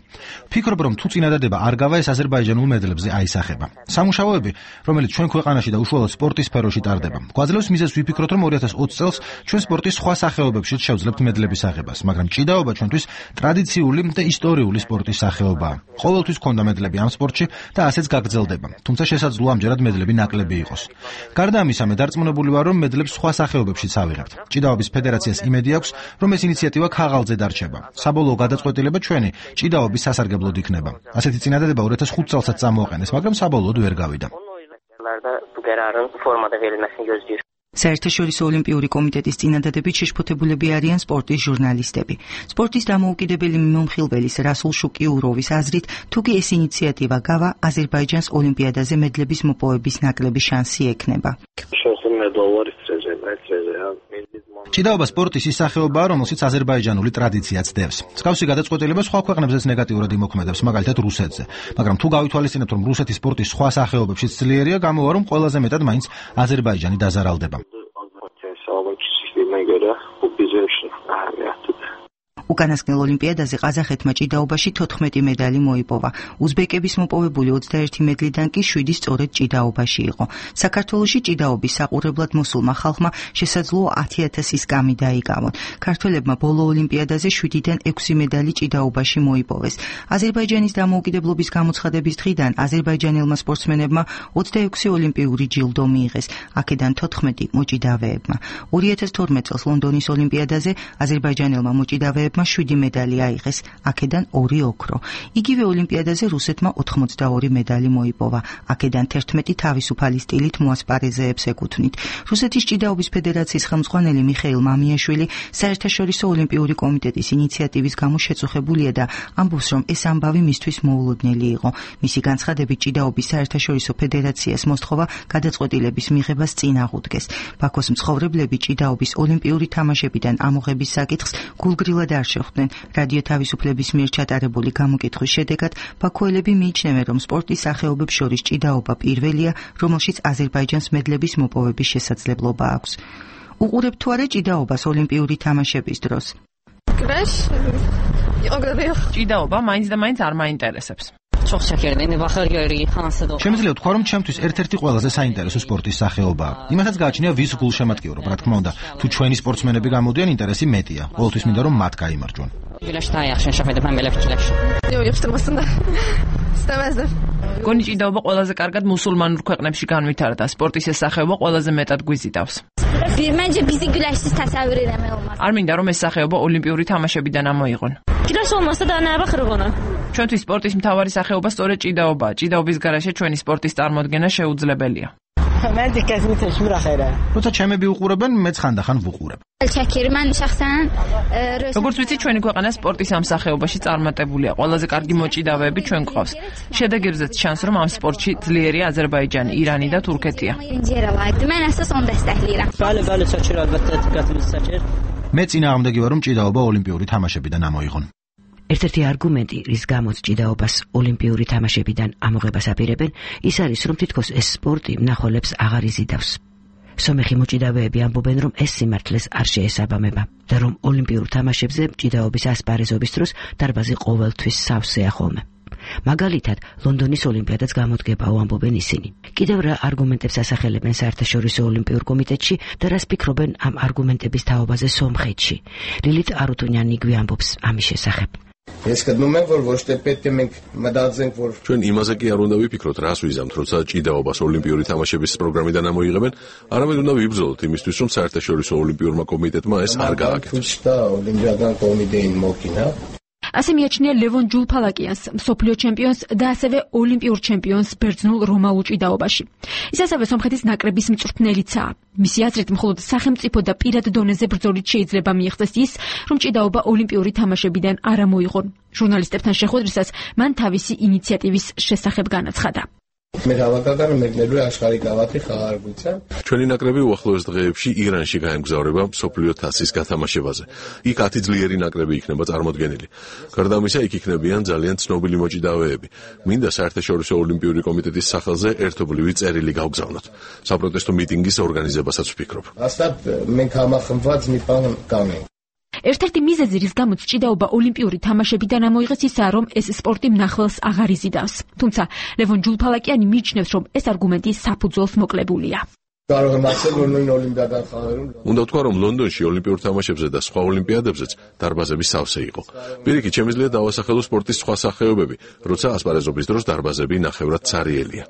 ფიქრობ, რომ თუ წინადადება არ გავა, ეს აზერბაიჯანულ მედლებზე აისახება. სამუშაოები, რომელიც ჩვენ ქვეყანაში და უშუალოდ სპორტის სფეროში ტარდება, გვაძლევს მიზეზს ვიფიქროთ, რომ ორი ათას ოცი წელს ჩვენ სპორტის სხვა სახეობებშიც შევძლებთ მედლების აღებას, მაგრამ ჭიდაობა ჩვენთვის ტრადიციული და ისტორიული სპორტის სახეობაა. ყოველთვის გვქონდა მედლები ამ სპორტში და ასეც გაგრძელდება, თუმცა შესაძლოა ამჯერად მედლები ნაკლები იყოს. გარდა ამისა, მე დარწმუნებული ვარ, რომ მედლებს სხვა სახეობებშიც ავიღებთ. ჭიდაობის ფედერაციას იმედი აქვს, რომ ეს ინიციატივა ქაღალდზე დარჩება. საბოლოო გადაწყვეტილება ჩვენი ჭიდაობის სასარგებლოდ იქნება. ასეთი წინადადება ორი ათას ხუთ წელსაც წამოაყენეს, მაგრამ საბოლოოდ ვერ გავიდა. bu qərarın formada verilməsini gözləyir. საერთაშორისო ოლიმპიური კომიტეტის წინადადებით შეშფოთებულები არიან სპორტის ჟურნალისტები. სპორტის დამოუკიდებელი მიმოხილველის რასულ შუკიუროვის აზრით, თუკი ეს ინიციატივა გავა, აზერბაიჯანს ოლიმპიადაზე მედლების მოპოვების ნაკლები შანსი ექნება. ჭიდაობა სპორტის ის სახეობაა, რომელშიც აზერბაიჯანული ტრადიციაც დევს. მსგავსი გადაწყვეტილება სხვა ქვეყნებზეც ნეგატიურად იმოქმედებს, მაგალითად რუსეთზე. მაგრამ თუ გავითვალისწინებთ, რომ რუსეთის სპორტის სხვა სახეობებშიც ძლიერია, გამოვა, რომ ყველაზე მეტად მაინც აზერბაიჯანი დაზარალდება. უკანასკნელ ოლიმპიადაზე ყაზახეთმა ჭიდაობაში თოთხმეტი მედალი მოიპოვა. უზბეკების მოპოვებული ოცდაერთი მედლიდან კი შვიდი სწორედ ჭიდაობაში იყო. საქართველოში ჭიდაობის საყურებლად მოსულმა ხალხმა შესაძლოა ათი ათასის გამი დაიგავონ. ქართველებმა ბოლო ოლიმპიადაზე შვიდიდან ექვსი მედალი ჭიდაობაში მოიპოვეს. აზერბაიჯანის დამოუკიდებლობის გამოცხადების დღიდან აზერბაიჯანელმა სპორტსმენებმა ოცდაექვსი ოლიმპიური ჯილდო მიიღეს, აქედან თოთხმეტი მოჭიდავეებმა. ორი ათას თორმეტ წელს ლონდონის ოლიმპიადაზე აზერბაიჯანელმა მოჭიდავეებმა შვიდი მედალი აიღეს, აქედან ორი ოქრო. იგივე ოლიმპიადაზე რუსეთმა ოთხმოცდაორი მედალი მოიპოვა, აქედან თერთმეტი თავისუფალი სტილით მოასპარეზეებს ეკუთვნით. რუსეთის ჭიდაობის ფედერაციის ხელმძღვანელი მიხეილ მამიაშვილი საერთაშორისო ოლიმპიური კომიტეტის ინიციატივის გამო შეწუხებულია და ამბობს, რომ ეს ამბავი მისთვის მოულოდნელი იყო. მისი განცხადებით ჭიდაობის საერთაშორისო ფედერაციას მოსთხოვა გადაწყვეტილების მიღებას წინ აღუდგეს. ბაქოს მცხოვრებლები ჭიდაობის ოლიმპიური თამაშებიდან ამოღების საკითხს გულგრილად არ შეხვდნენ. რადიო თავისუფლების მიერ ჩატარებული გამოკითხვის შედეგად ბაქოელები მიიჩნევენ, რომ სპორტის სახეობებს შორის ჭიდაობა პირველია, რომელშიც აზერბაიჯანს მედლების მოპოვების შესაძლებლობა აქვს. უყურებთ თუ არა ჭიდაობას ოლიმპიური თამაშების დროს? ჭიდაობა მაინც და მაინც არ მაინტერესებს. შემიძლია ვთქვა, რომ ჩემთვის ერთ-ერთი ყველაზე საინტერესო სპორტის სახეობაა. იმასაც გააჩნია ვის გულშემატკივრობ, რა თქმა უნდა, თუ ჩვენი სპორტსმენები გამოდიან, ინტერესი მეტია. ყოველთვის მინდა რომ მათ გაიმარჯვონ. გონი ჭიდაობა ყველაზე კარგად მუსულმანურ ქვეყნებში განვითარდა. სპორტის ეს სახეობა ყველაზე მეტად გვიზიდავს. არ მინდა რომ ეს სახეობა ოლიმპიური თამაშებიდან ამოიღონ. ჩვენთვის სპორტის მთავარი სახეობა სწორედ ჭიდაობაა. ჭიდაობის გარეშე ჩვენი სპორტის წარმოდგენა შეუძლებელია. როცა ჩემები უყურებენ, მეც ხანდახან ვუყურებ. როგორც ვიცი, ჩვენი ქვეყანა სპორტის ამ სახეობაში წარმატებულია. ყველაზე კარგი მოჭიდავეები ჩვენ გვყავს. შედეგებზეც ჩანს, რომ ამ სპორტში ძლიერია აზერბაიჯანი, ირანი და თურქეთია. მე წინააღმდეგი ვარ, რომ ჭიდაობა ოლიმპიური თამაშებიდან ამოიღონ. ერთ-ერთი არგუმენტი, რის გამოც ჭიდაობას ოლიმპიური თამაშებიდან ამოღებას აპირებენ, ის არის, რომ თითქოს ეს სპორტი მნახველებს აღარ იზიდავს. სომეხი მოჭიდავეები ამბობენ, რომ ეს სიმართლეს არ შეესაბამება და რომ ოლიმპიურ თამაშებზე ჭიდაობის ასპარეზობის დროს დარბაზი ყოველთვის სავსეა ხოლმე. მაგალითად, ლონდონის ოლიმპიადაც გამოდგებაო ამბობენ ისინი. კიდევ რა არგუმენტებს ასახელებენ საერთაშორისო ოლიმპიურ კომიტეტში და რას ფიქრობენ ამ არგუმენტების თაობაზე სომხეთში. ლილით არუთუნიანი იგვი ამბობს ამის შესახებ. ჩვენ იმაზე კი არ უნდა ვიფიქროთ, რას ვიზამთ, როცა ჭიდაობას ოლიმპიური თამაშების პროგრამიდან ამოიღებენ, არამედ უნდა ვიბრძოლოთ იმისთვის, რომ საერთაშორისო ოლიმპიურმა კომიტეტმა ეს არ გააკეთოს. ასე მიაჩნია ლევონ ჯულფალაკიანს, მსოფლიო ჩემპიონს და ასევე ოლიმპიურ ჩემპიონს ბერძნულ რომაულ ჭიდაობაში. ის ასევე სომხეთის ნაკრების მწვრთნელიცაა. მისი აზრით, მხოლოდ სახელმწიფო და პირად დონეზე ბრძოლით შეიძლება მიიღწეს ის, რომ ჭიდაობა ოლიმპიური თამაშებიდან არ ამოიღონ. ჟურნალისტებთან შეხვედრისას მან თავისი ინიციატივის შესახებ განაცხადა. ჩვენი ნაკრები უახლოეს დღეებში ირანში გაემგზავრება მსოფლიო თასის გათამაშებაზე. იქ ათი ძლიერი ნაკრები იქნება წარმოდგენილი. გარდა ამისა, იქ იქნებიან ძალიან ცნობილი მოჭიდავეები. მინდა საერთაშორისო ოლიმპიური კომიტეტის სახელზე ერთობლივი წერილი გავგზავნოთ. საპროტესტო მიტინგის ორგანიზებასაც ვფიქრობ. ერთ-ერთი მიზეზი, რის გამოც ჭიდაობა ოლიმპიური თამაშებიდან ამოიღეს, ისაა, რომ ეს სპორტი მნახველს აღარ იზიდავს. თუმცა ლევონ ჯულფალაკიანი მიიჩნევს, რომ ეს არგუმენტი საფუძველს მოკლებულია. უნდა ვთქვა, რომ ლონდონში ოლიმპიურ თამაშებზე და სხვა ოლიმპიადებზეც დარბაზები სავსე იყო. პირიქით, შემიძლია დავასახელო სპორტის სხვა სახეობები, როცა ასპარეზობის დროს დარბაზები ნახევრად ცარიელია.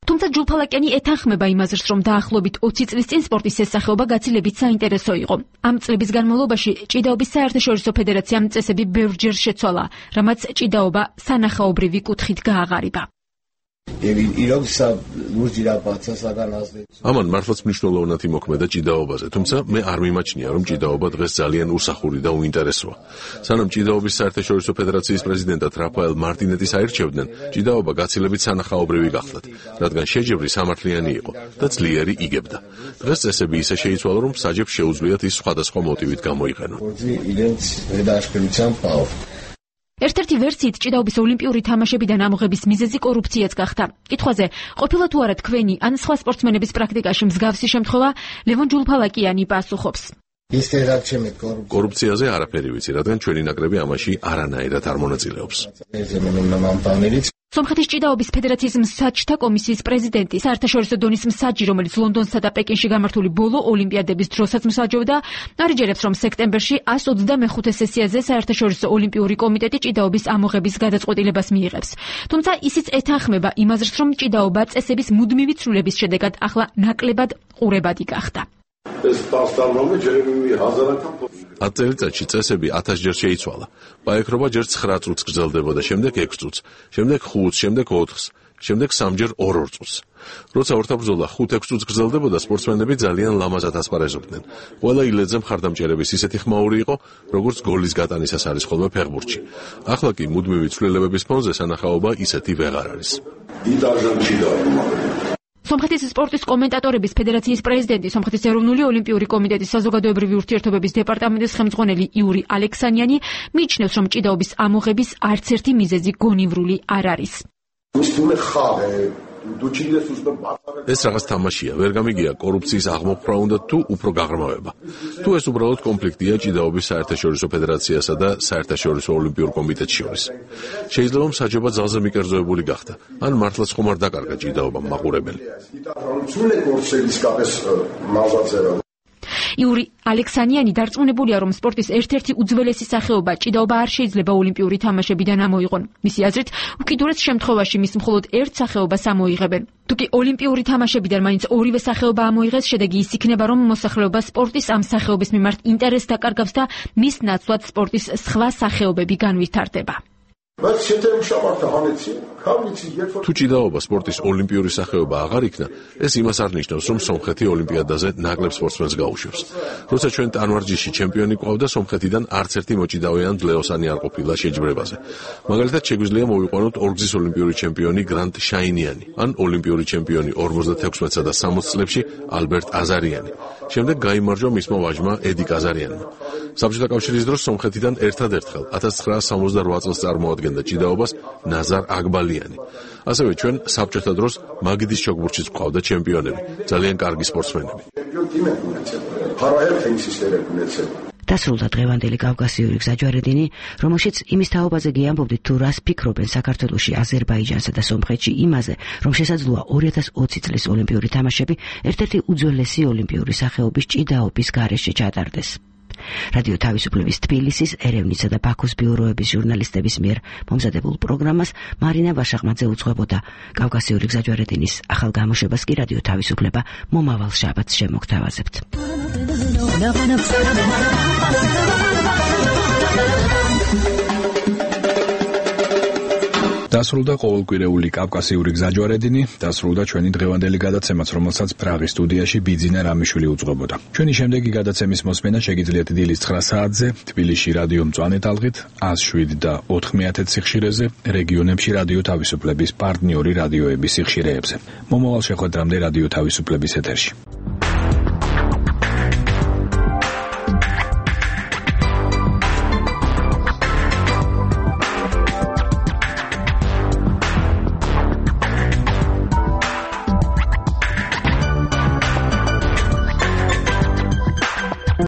თუმცა ჯულფალაკიანი ეთანხმება იმ აზრს, რომ დაახლოებით ოცი წლის წინ სპორტის ეს სახეობა გაცილებით საინტერესო იყო. ამ წლების განმავლობაში ჭიდაობის საერთაშორისო ფედერაციამ წესები ბევრჯერ შეცვალა, რამაც ჭიდაობა სანახაობრივი კუთხით გააღარიბა. ამან მართლაც მნიშვნელოვნად იმოქმედა ჭიდაობაზე, თუმცა მე არ მიმაჩნია, რომ ჭიდაობა დღეს ძალიან უსახური და უინტერესოა. სანამ ჭიდაობის საერთაშორისო ფედერაციის პრეზიდენტად რაფაელ მარტინეტის აირჩევდნენ, ჭიდაობა გაცილებით სანახაობრივი გახლდათ, რადგან შეჯიბრი სამართლიანი იყო და ძლიერი იგებდა. დღეს წესები ისე შეიცვალა, რომ საჯებს შეუძლიათ ის სხვადასხვა მოტივით გამოიყენონ. ერთ-ერთი ვერსიით ჭიდაობის ოლიმპიური თამაშებიდან ამოღების მიზეზი კორუფციაც გახდა. კითხვაზე, ყოფილა თუ არა თქვენი ან სხვა სპორტსმენების პრაქტიკაში მსგავსი შემთხვევა, ლევონ ჯულფალაკიანი პასუხობს. კორუფციაზე არაფერი ვიცი, რადგან ჩვენი ნაკრები ამაში არანაირად არ მონაწილეობს. სომხეთის ჭიდაობის ფედერაციის მსაჯთა კომისიის პრეზიდენტი, საერთაშორისო დონის მსაჯი, რომელიც ლონდონსა და პეკინში გამართული ბოლო ოლიმპიადების დროსაც მსაჯობდა, არიჯერებს, რომ სექტემბერში εκατს ოცდამეხუთე სესიაზე საერთაშორისო ოლიმპიური კომიტეტი ჭიდაობის ამოღების გადაწყვეტილებას მიიღებს. თუმცა ისიც ეთანხმება იმ აზრს, რომ ჭიდაობა წესების მუდმივი ცვლილების შედეგად ახლა ნაკლებად ყურებადი გახდა. ათ წელიწადში წესები ათასჯერ შეიცვალა. პაექრობა ჯერ ცხრა წუთს გრძელდებოდა, შემდეგ ექვს წუთს, შემდეგ ხუთს, შემდეგ ოთხს, შემდეგ სამჯერ ორ-ორ წუთს. როცა ორთაბრძოლა ხუთ-ექვს წუთს გრძელდებოდა, სპორტსმენები ძალიან ლამაზად ასპარეზობდნენ. ყველა ილედზე მხარდამჭერების ისეთი ხმაური იყო, როგორც გოლის გატანისას არის ხოლმე ფეხბურთში. ახლა კი მუდმივი ცვლილებების ფონზე სანახაობა ისეთი ვეღარ არის. სომხეთის სპორტის კომენტატორების ფედერაციის პრეზიდენტი, სომხეთის ეროვნული ოლიმპიური კომიტეტის საზოგადოებრივი ურთიერთობების დეპარტამენტის ხელმძღვანელი იური ალექსანიანი მიიჩნევს, რომ ჭიდაობის ამოღების არც ერთი მიზეზი გონივრული არ არის. ეს რაღაც თამაშია, ვერ გამიგია კორუფციის აღმოფხვრა უნდა თუ უფრო გაღრმავება. თუ ეს უბრალოდ კონფლიქტია ჭიდაობის საერთაშორისო ფედერაციასა და საერთაშორისო ოლიმპიურ კომიტეტს შორის. შეიძლება მსაჯობა ძალზე მიკერძოებული გახდა, ან მართლაც ხომ არ დაკარგა ჭიდაობამ მაყურებელი. იური ალექსანიანი დარწმუნებულია, რომ სპორტის ერთ-ერთი უძველესი სახეობა ჭიდაობა არ შეიძლება ოლიმპიური თამაშებიდან ამოიღონ. მისი აზრით, უკიდურეს შემთხვევაში მის მხოლოდ ერთ სახეობას ამოიღებენ. თუკი ოლიმპიური თამაშებიდან მაინც ორივე სახეობა ამოიღეს, შედეგი ის იქნება, რომ მოსახლეობა სპორტის ამ სახეობის მიმართ ინტერესს დაკარგავს და მის ნაცვლად სპორტის სხვა სახეობები განვითარდება. თუ ჭიდაობა სპორტის ოლიმპიური სახეობა აღარ იქნა, ეს იმას არ ნიშნავს, რომ სომხეთი ოლიმპიადაზე ნაკლებ სპორტსმენს გაუშვებს. როცა ჩვენ ტანვარჯიშში ჩემპიონი გვყავდა, სომხეთიდან არც ერთი მოჭიდავე ან ძლეოსანი არ ყოფილა შეჯიბრებაზე. მაგალითად, შეგვიძლია მოვიყვანოთ ორგზის ოლიმპიური ჩემპიონი გრანტ შაინიანი, ან ოლიმპიური ჩემპიონი ორმოცდათექვსმეტსა და სამოცს წლებში ალბერტ აზარიანი. შემდეგ გაიმარჯვა მისმა ვაჟმა ედი კაზარიანმა. საბჭოთა კავშირის დროს სომხეთიდან ერთადერთხელ ათას ცხრაასი სამოცდარვა წელს წარმოადგენდა ჭიდაობას ნაზარ აგბალი. მტენიანი. ასევე ჩვენ საბჭოთა დროს მაგიდის ჩოგბურთშიც გვყავდა ჩემპიონები, ძალიან კარგი სპორტსმენები. დასრულდა დღევანდელი კავკასიური გზაჯვარედინი, რომელშიც იმის თაობაზე გიამბობდით თუ რას ფიქრობენ საქართველოში, აზერბაიჯანსა და სომხეთში იმაზე, რომ შესაძლოა ორი ათას ოცი წლის ოლიმპიური თამაშები ერთ-ერთი უძველესი ოლიმპიური სახეობის ჭიდაობის გარეშე ჩატარდეს. რადიო თავისუფლების თბილისის, ერევნისა და ბაქოს ბიუროების ჟურნალისტების მიერ მომზადებულ პროგრამას მარინა ვაშაღმაძე უძღვებოდა. კავკასიური გზაჯვარედინის ახალ გამოშვებას კი რადიო თავისუფლება მომავალ შაბათს შემოგთავაზებთ. დასრულდა ყოველკვირეული კავკასიური გზაჯვარედინი, დასრულდა ჩვენი დღევანდელი გადაცემაც, რომელსაც პრაღის სტუდიაში ბიძინა რამიშვილი უძღვებოდა. ჩვენი შემდეგი გადაცემის მოსმენა შეგიძლიათ დილის ცხრა საათზე, თბილისში რადიო მწვანე ტალღით, ას შვიდი და ოთხმეათე სიხშირეზე, რეგიონებში რადიო თავისუფლების პარტნიორი რადიოების სიხშირეებზე. მომავალ შეხვედრამდე რადიო თავისუფლების ეთერში.